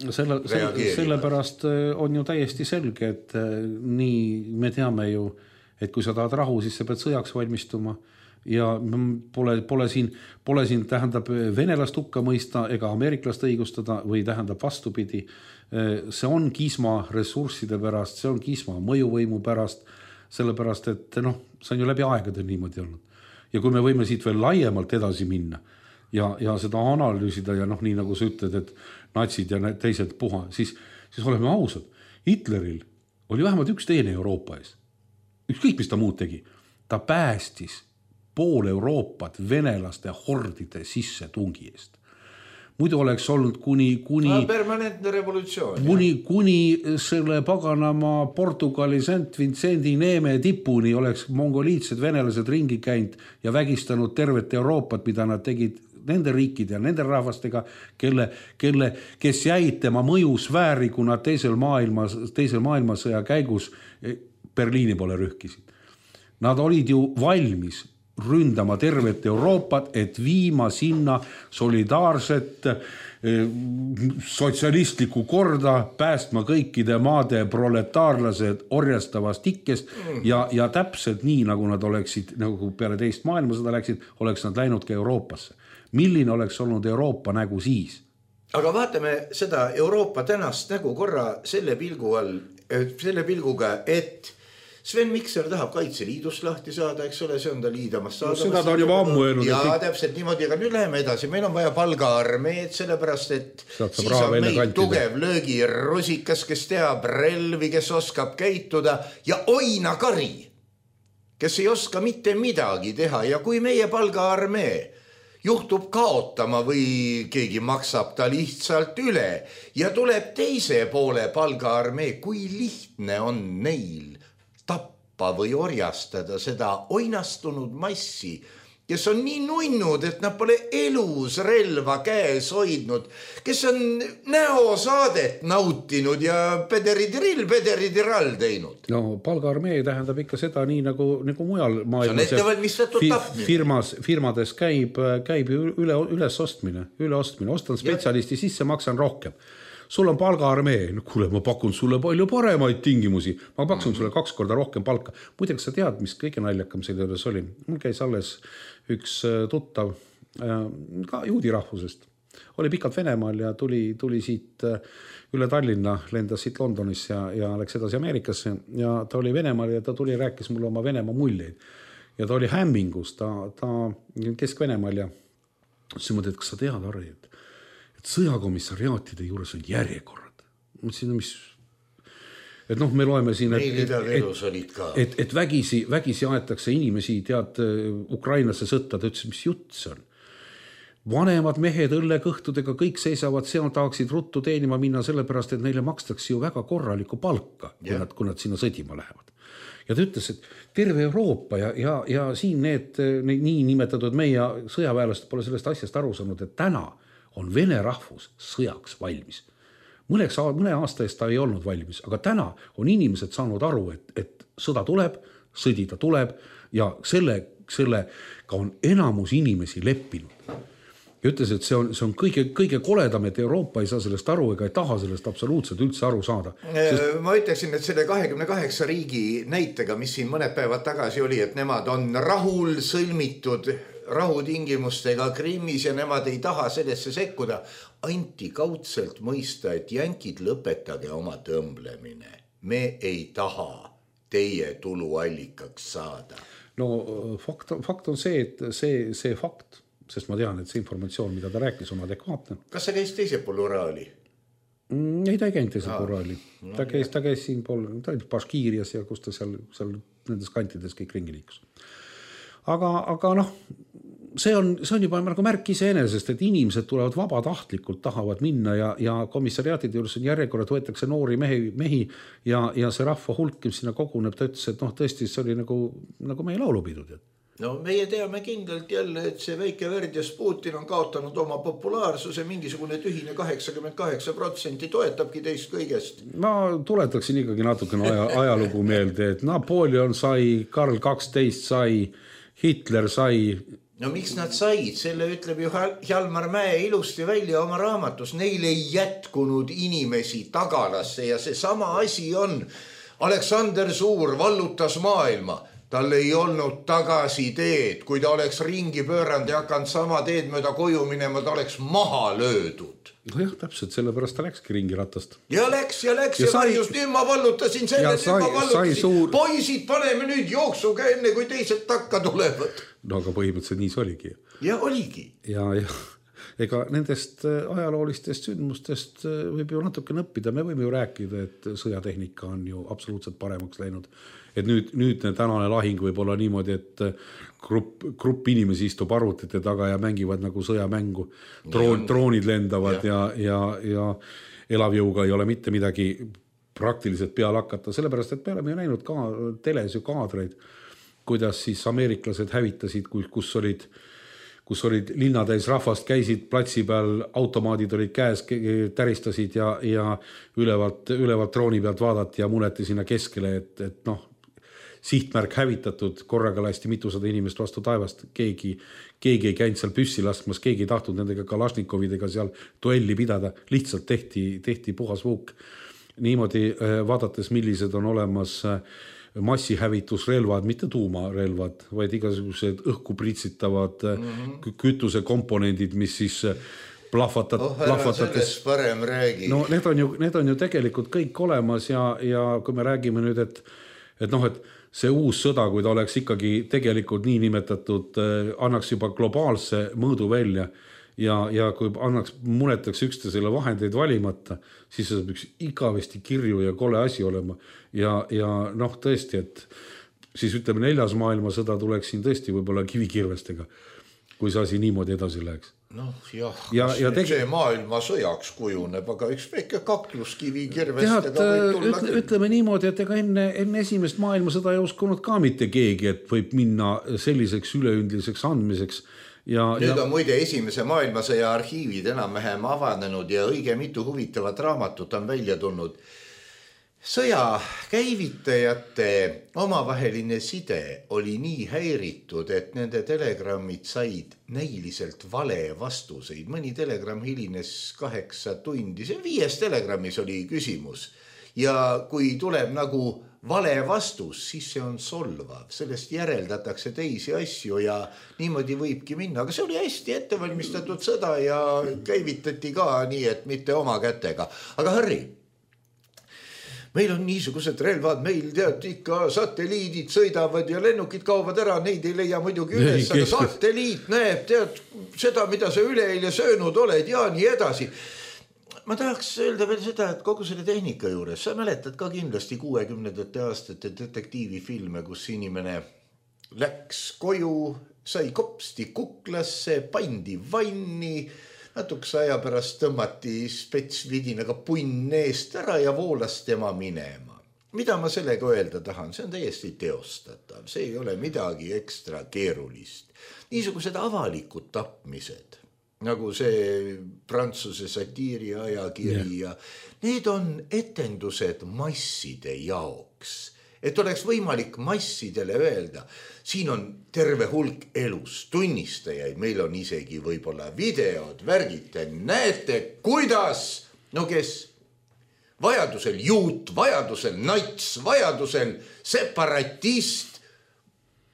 selle, selle, sellepärast on ju täiesti selge, et nii me teame ju, et kui sa tahad rahu, siis sa pead sõjaks valmistuma. Ja pole, pole, siin, pole siin tähendab venelast hukka mõista ega ameeriklast õigustada või tähendab vastupidi. See on kisma ressursside pärast, see on kisma mõjuvõimu pärast, sellepärast, et noh, see on ju läbi aegade niimoodi olnud. Ja kui me võime siit veel laiemalt edasi minna ja, ja seda analüüsida ja noh, nii nagu sa ütled, et natsid ja teised puha, siis, siis oleme ausad. Hitleril oli vähemalt üks teine Euroopa ees. Ükskõik, mis ta muud tegi. Ta päästis pool Euroopat venelaste hordide sisse tungi eest. Muidu oleks olnud kuni, kuni, permanentne revolutsioon, kuni, kuni selle paganama Portugali Saint Vincendi neeme tipuni oleks mongoliitsed venelased ringi käinud ja vägistanud tervet Euroopat, mida nad tegid nende riikide ja nende rahvastega, kelle, kelle, kes jäid tema mõjusfääri, kuna teisel, maailma, teisel maailmasõja käigus Berliini poole rühkisid. Nad olid ju valmis ründama tervet Euroopat, et viima sinna solidaarset sotsialistlikku korda, päästma kõikide maade proletaarlased orjastavast ikkest ja, ja täpselt nii, nagu nad oleksid, nagu peale teist maailmasõda läksid, oleks nad läinud ka Euroopasse. Milline oleks olnud Euroopa nägu siis? Aga vaatame seda Euroopa tänast nägu korra selle pilgu all, selle pilguga, et Sven Mikser tahab Kaitseliidust lahti saada, eks ole, see on ta liidamas saada. No, seda ta on juba ammu öelnud. Ja kõik... täpselt niimoodi, aga nüüd läheme edasi. Meil on vaja palgaarmeed, sellepärast, et siis on meil tugev löögirusikas, kes teab relvi, kes oskab käituda ja Oina Kari, kes ei oska mitte midagi teha. Ja kui meie palgaarmee juhtub kaotama või keegi maksab ta lihtsalt üle ja tuleb teise poole palgaarmee, kui lihtne on neil tappa või orjastada seda oinastunud massi, kes on nii nunnud, et nad pole elus relva käes hoidnud, kes on näosaadet nautinud ja pederidiril, pederidiral teinud. No palgaarmee tähendab ikka seda nii nagu, nagu mujal maailmas. See on ettevalmistatud tapmine. Firmas, firmades käib, käib üle, üles ostmine, üle ostmine. Ostan spetsialisti sisse, maksan rohkem. Sul on palgaarmee, no kuule, ma pakun sulle palju paremaid tingimusi, ma paksun sulle kaks korda rohkem palka. Muideks sa tead, mis kõige naljakam selle juures oli? Mul käis alles üks tuttav ka juudi rahvusest. Oli pikalt Venemaal ja tuli, tuli siit üle Tallinna, lendas siit Londonis ja, ja läks edasi Ameerikasse ja ta oli Venemaal ja ta tuli ja rääkis mulle oma Venemaa muljeid. Ja ta oli hämmingus, ta, ta Kesk-Venemaal ja siis mõtled, et kas sa tead, Harri, et sõjakomissariaatide juures on järjekorrad. Mõtlesin, mis... Et noh, me loeme siin, et, et, et, et vägisi, vägisi aetakse inimesi, tead, Ukrainasse sõtta, ta ütles, mis jutt see on. Vanemad mehed õllekõhtudega kõik seisavad, seal tahaksid ruttu teenima minna sellepärast, et neile makstakse ju väga korralikku palka, kui nad, kui nad sinna sõdima lähevad. Ja ta ütles, et terve Euroopa ja, ja, ja siin need, need nii nimetatud meie sõjaväelased pole sellest asjast aru saanud, et täna on vene rahvus sõjaks valmis. Mõneks, mõne aasta eest ta ei olnud valmis, aga täna on inimesed saanud aru, et, et sõda tuleb, sõdida tuleb ja selle, sellega on enamus inimesi leppinud. Ja ütles, et see on, see on kõige, kõige koledam, et Euroopa ei saa sellest aru ega ei taha sellest absoluutselt üldse aru saada. Sest... Ma ütleksin, et selle kahekümne kaheksa riigi näitega, mis siin mõned päevad tagasi oli, et nemad on rahul sõlmitud rahutingimustega Krimmis ja nemad ei taha sellesse sekkuda. Anti kaudselt mõista, et jänkid lõpetage oma tõmblemine. Me ei taha teie tuluallikaks saada. No fakt, fakt on see, et see, see fakt, sest ma tean, et see informatsioon, mida ta rääkis, on adekvaatne. Kas sa käis teise pool Uraali? Mm, ei, ta ei käinud teise pool Uraali. Ta käis, ta käis siin pool, ta oli Baškiirias ja kus ta seal, seal nendes kantides kõik ringi liikus. Aga, aga noh, see on, see on juba nagu märk iseenesest, et inimesed tulevad vabatahtlikult, tahavad minna ja, ja komissariaatide juures on järjekorrad, võetakse noori mehi, mehi ja, ja see rahva hulk, kes sinna koguneb, ta ütles, et noh, tõesti, see oli nagu, nagu meie laulupidud. No meie teame kindlalt jälle, et see väike Verdjas Putin on kaotanud oma populaarsuse, mingisugune tühine kaheksakümmend kaheksa protsenti toetabki teist kõigest. Ma tuletaksin ikkagi natukene aja, ajalugu meelde, et Napoleon sai, Karl kaksteist sai, Hitler sai. No miks nad said? Selle ütleb ju Hjalmar Mäe ilusti välja oma raamatus. Neil ei jätkunud inimesi tagalasse ja see sama asi on. Aleksander Suur vallutas maailma. Tal ei olnud tagasi teed. Kui ta oleks ringi pööranud ja hakanud sama teed mööda koju minema, ta oleks maha löödud. No jah, täpselt, sellepärast ta läkski ringi ratast. Ja läks ja läks ja, ja sai... just nüüd ma vallutasin selle, nüüd ma vallutasin. Suur... Poisid, paneme nüüd jooksuga enne, kui teised takka tulevad. No aga põhimõtteliselt nii see oligi. Ja oligi. Ja, ja ega nendest ajaloolistest sündmustest võib ju natuke õppida. Me võime ju rääkida, et sõjatehnika on ju absoluutselt paremaks läinud. Et nüüd, nüüd tänane lahing võib olla niimoodi, et grupp, grupp inimesi istub arvutite taga ja mängivad nagu sõjamängu. Droon, droonid lendavad ja, ja, ja, ja elavjõuga ei ole mitte midagi praktiliselt peale hakata. Sellepärast, et me oleme ju näinud ka teles ju kaadreid, kuidas siis ameeriklased hävitasid, kus olid, kus olid linnatäis rahvast, käisid platsi peal, automaadid olid käes, täristasid ja, ja ülevalt, ülevalt drooni pealt vaadati ja muneti sinna keskele, et, et noh, sihtmärk hävitatud, korraga lasti mitusada inimest vastu taevast, keegi, keegi ei käinud seal püssi laskmas, keegi ei tahtnud nendega Kalašnikovidega seal duelli pidada, lihtsalt tehti, tehti puhas vuuk. Niimoodi vaadates, millised on olemas massihävitusrelvad, mitte tuumarelvad, vaid igasugused õhku pritsitavad mm-hmm. kütusekomponendid, mis siis plahvatat, oh, plahvatates. Parem räägi. No need on ju, need on ju tegelikult kõik olemas ja, ja kui me räägime nüüd, et, et noh, et see uus sõda, kui ta oleks ikkagi tegelikult nii nimetatud, annaks juba globaalse mõõdu välja ja, ja kui annaks, munetaks üksteisele vahendeid valimata, siis see saab üks igavesti kirju ja kole asi olema. Ja, ja noh, tõesti, et siis ütleme neljas maailmasõda tuleks siin tõesti võib-olla kivikirvestega, kui see asi niimoodi edasi läheks. Noh jah, ja, ja tegi... see maailma sõjaks kujuneb, aga üks väike kakluskivi kirvestega Tead, võib tulla. Ütle, ütleme niimoodi, et ega enne, enne esimest maailmasõda ei uskunud ka mitte keegi, et võib minna selliseks üleüldiseks andmiseks. Ja, nüüd ja... on muide esimese maailmasõja arhiivid enam-vähem avanenud ja õige mitu huvitavat raamatut on välja tulnud. Sõja käivitajate omavaheline side oli nii häiritud, et nende telegrammid said näiliselt vale vastuseid. Mõni telegramm hilines kaheksa tundi. See viies telegrammis oli küsimus. Ja kui tuleb nagu vale vastus, siis see on solvav. Sellest järeldatakse teisi asju ja niimoodi võibki minna. Aga see oli hästi ettevalmistatud sõda ja käivitati ka nii, et mitte oma kätega. Aga Harri, meil on niisugused relvad, meil tead ikka satelliidid sõidavad ja lennukid kaovad ära, neid ei leia muidugi üles, aga satelliit näeb tead seda, mida sa üleeile söönud oled ja nii edasi. Ma tahaks öelda veel seda, et kogu selle tehnika juures, sa mäletad ka kindlasti kuuekümnendate aastate detektiivifilme, kus inimene läks koju, sai kopsti kuklasse, pandi vanni, natukese aja pärast tõmmati spetsvidinaga punn eest ära ja voolas tema minema. Mida ma sellega öelda tahan? See on täiesti teostatav. See ei ole midagi ekstra keerulist. Niisugused avalikud tapmised, nagu see Prantsuse satiiri ajakiri ja need on etendused masside jaoks. Et oleks võimalik massidele öelda, siin on terve hulk elus tunnistajaid, meil on isegi võib-olla videod, värgite, näete, kuidas, no kes, vajadusel juut, vajadusel nats, vajadusel separatist,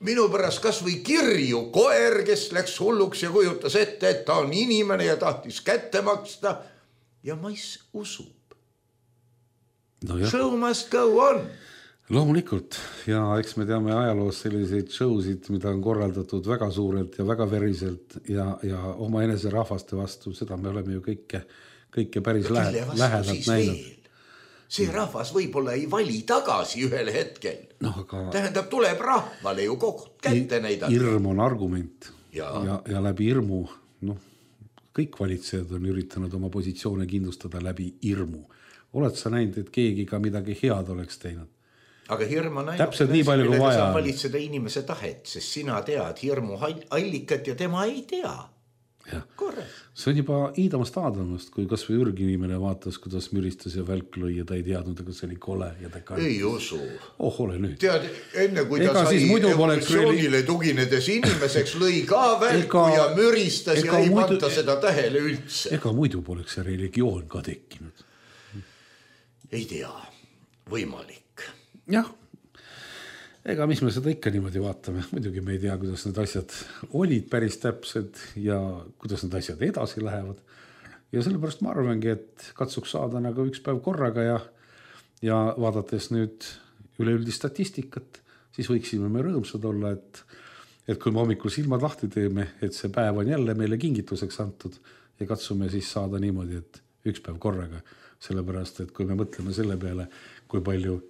minu pärast kas või kirju koer, kes läks hulluks ja kujutas ette, et ta on inimene ja tahtis kätte maksta ja mais usub. No show must go on. Loomulikult ja eks me teame ajaloos selliseid showsid, mida on korraldatud väga suurelt ja väga veriselt ja, ja oma enese rahvaste vastu, seda me oleme ju kõike, kõike päris lähe, lähedalt näinud. See rahvas võib-olla ei vali tagasi ühel hetkel. No, aga tähendab, tuleb rahvale ju kogu kätte näidata. Hirm on argument ja, ja, ja läbi hirmu, noh, kõik valitsejad on üritanud oma positsioone kindlustada läbi hirmu. Oled sa näinud, et keegi ka midagi head oleks teinud? Aga hirm on ainult, täpselt nii palju kui vaja. Saab valitseda inimese tahet, sest sina tead hirmu allikat ja tema ei tea. Korrekt. See on juba Iidamast Aadamast, kui kas või ürginimene vaatas, kuidas müristas ja välk lõi ja ta ei teadnud, aga see oli kole ja ta kantis. Ei usu. Oh, ole nüüd. Tead, enne kui ega ta sai evolutsioonile tuginedes inimeseks lõi ka välku ega, ja müristas ja ei muidu, panta seda tähele üldse. Ega muidu poleks see religioon ka tekkinud. Ei tea, võimalik. Jah, ega mis me seda ikka niimoodi vaatame, muidugi me ei tea, kuidas need asjad olid päris täpsed ja kuidas need asjad edasi lähevad. Ja sellepärast ma arvangi, et katsuks saada nagu üks päev korraga ja, ja vaadates nüüd üleüldist statistikat, siis võiksime me rõõmsad olla, et, et kui me hommikul silmad lahti teeme, et see päev on jälle meile kingituseks antud ja katsume siis saada niimoodi, et üks päev korraga, sellepärast, et kui me mõtleme selle peale, kui palju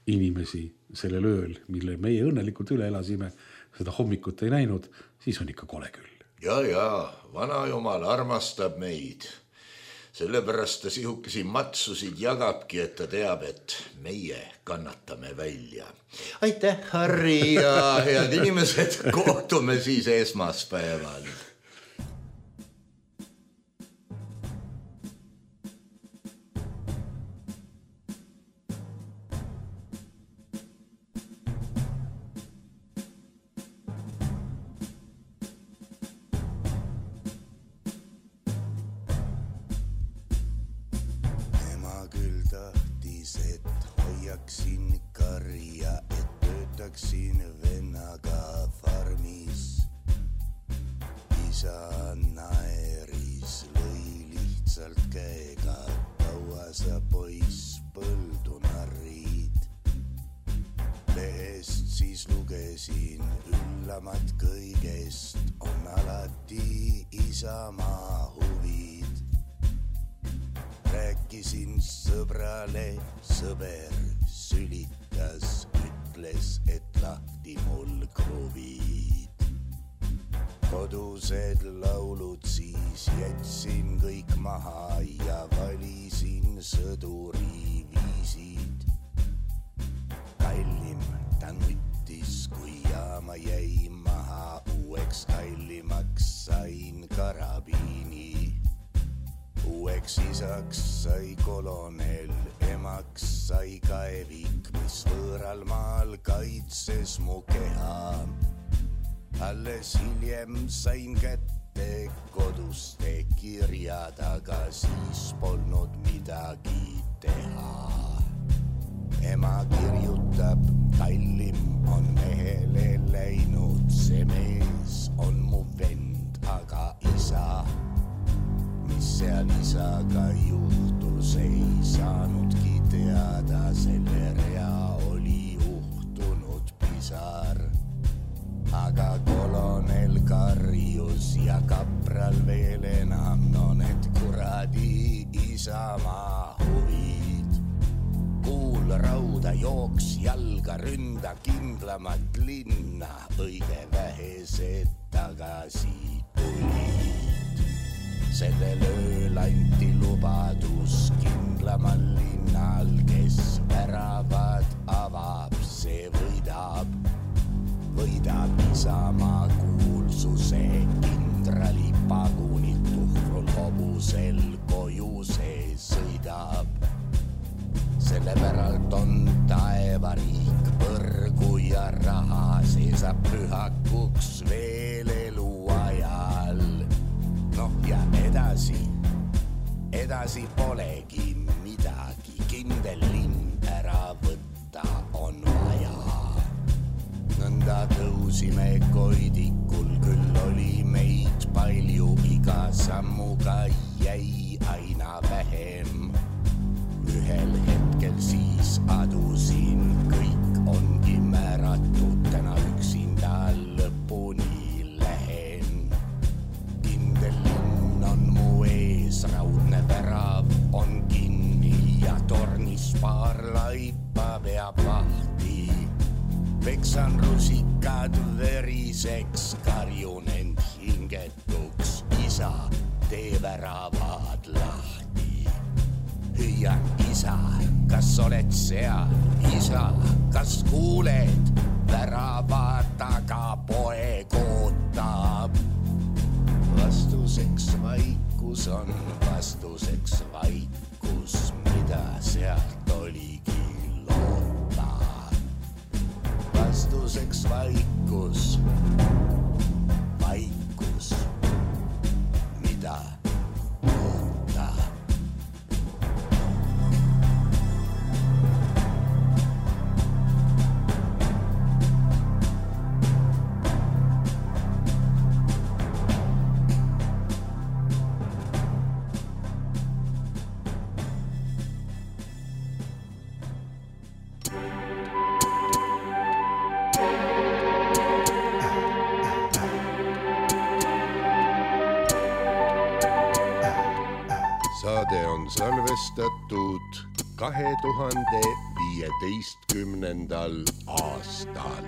inimesi sellel ööl, mille meie õnnelikult üle elasime, seda hommikut ei näinud, siis on ikka kole küll. Ja, ja, vana jumal armastab meid. Sellepärast ta sihukesi matsusid jagabki, et ta teab, et meie kannatame välja. Aitäh, Harri ja head inimesed, kohtume siis esmaspäeval. Isaks sai kolonel, emaks sai kaevik, mis võõral maal kaitses mu keha. Alles hiljem sain kätte koduste kirjad, aga siis polnud midagi teha. Ema kirjutab, kallim on mehele läinud, see mees on mu vend, aga isa mis seal isaga juhtus, ei saanudki teada, selle rea oli uhtunud pisar. Aga kolonel karjus ja kapral veel enam, no need kuradi isamaa huvid. Kuul rauda jooks jalga, ründa kindlamat linna, õige vähesed tagasi tulid. Sellel ööl anti lubadus kindlamal linnal, kes väravad avab, see võidab. Võidab isamaa kuulsuse, kindrali pagunit tuhrul hobusel koju see sõidab. Selle päralt on taevariik, põrgu ja raha, see saab pühakuks veel elu ajal. Noh ja edasi, edasi polegi midagi, kindel linn ära võtta on vaja. Nõnda nõnda tõusime koidikul, küll oli meid palju, iga sammuga jäi aina vähem. Ühel hetkel siis adusin, kõik ongi määratud, täna üksinda lõpuni lähen. Kindel linn on mu ees, raudne värav on kinni ja tornis paar laipa veab lahti. Peksan rusikad veriseks, karjun end hingetuks, isa, tee väravad lahti. Hüüan, isa, kas oled seal? Isa, kas kuuled? Värava taga poeg ootab. Vastuseks vaikus on, vastuseks vaikus, mida sealt oligi loota. Vastuseks vaikus, vaikus, mida loota. Saade on salvestatud kahe tuhande viieteistkümnendal aastal.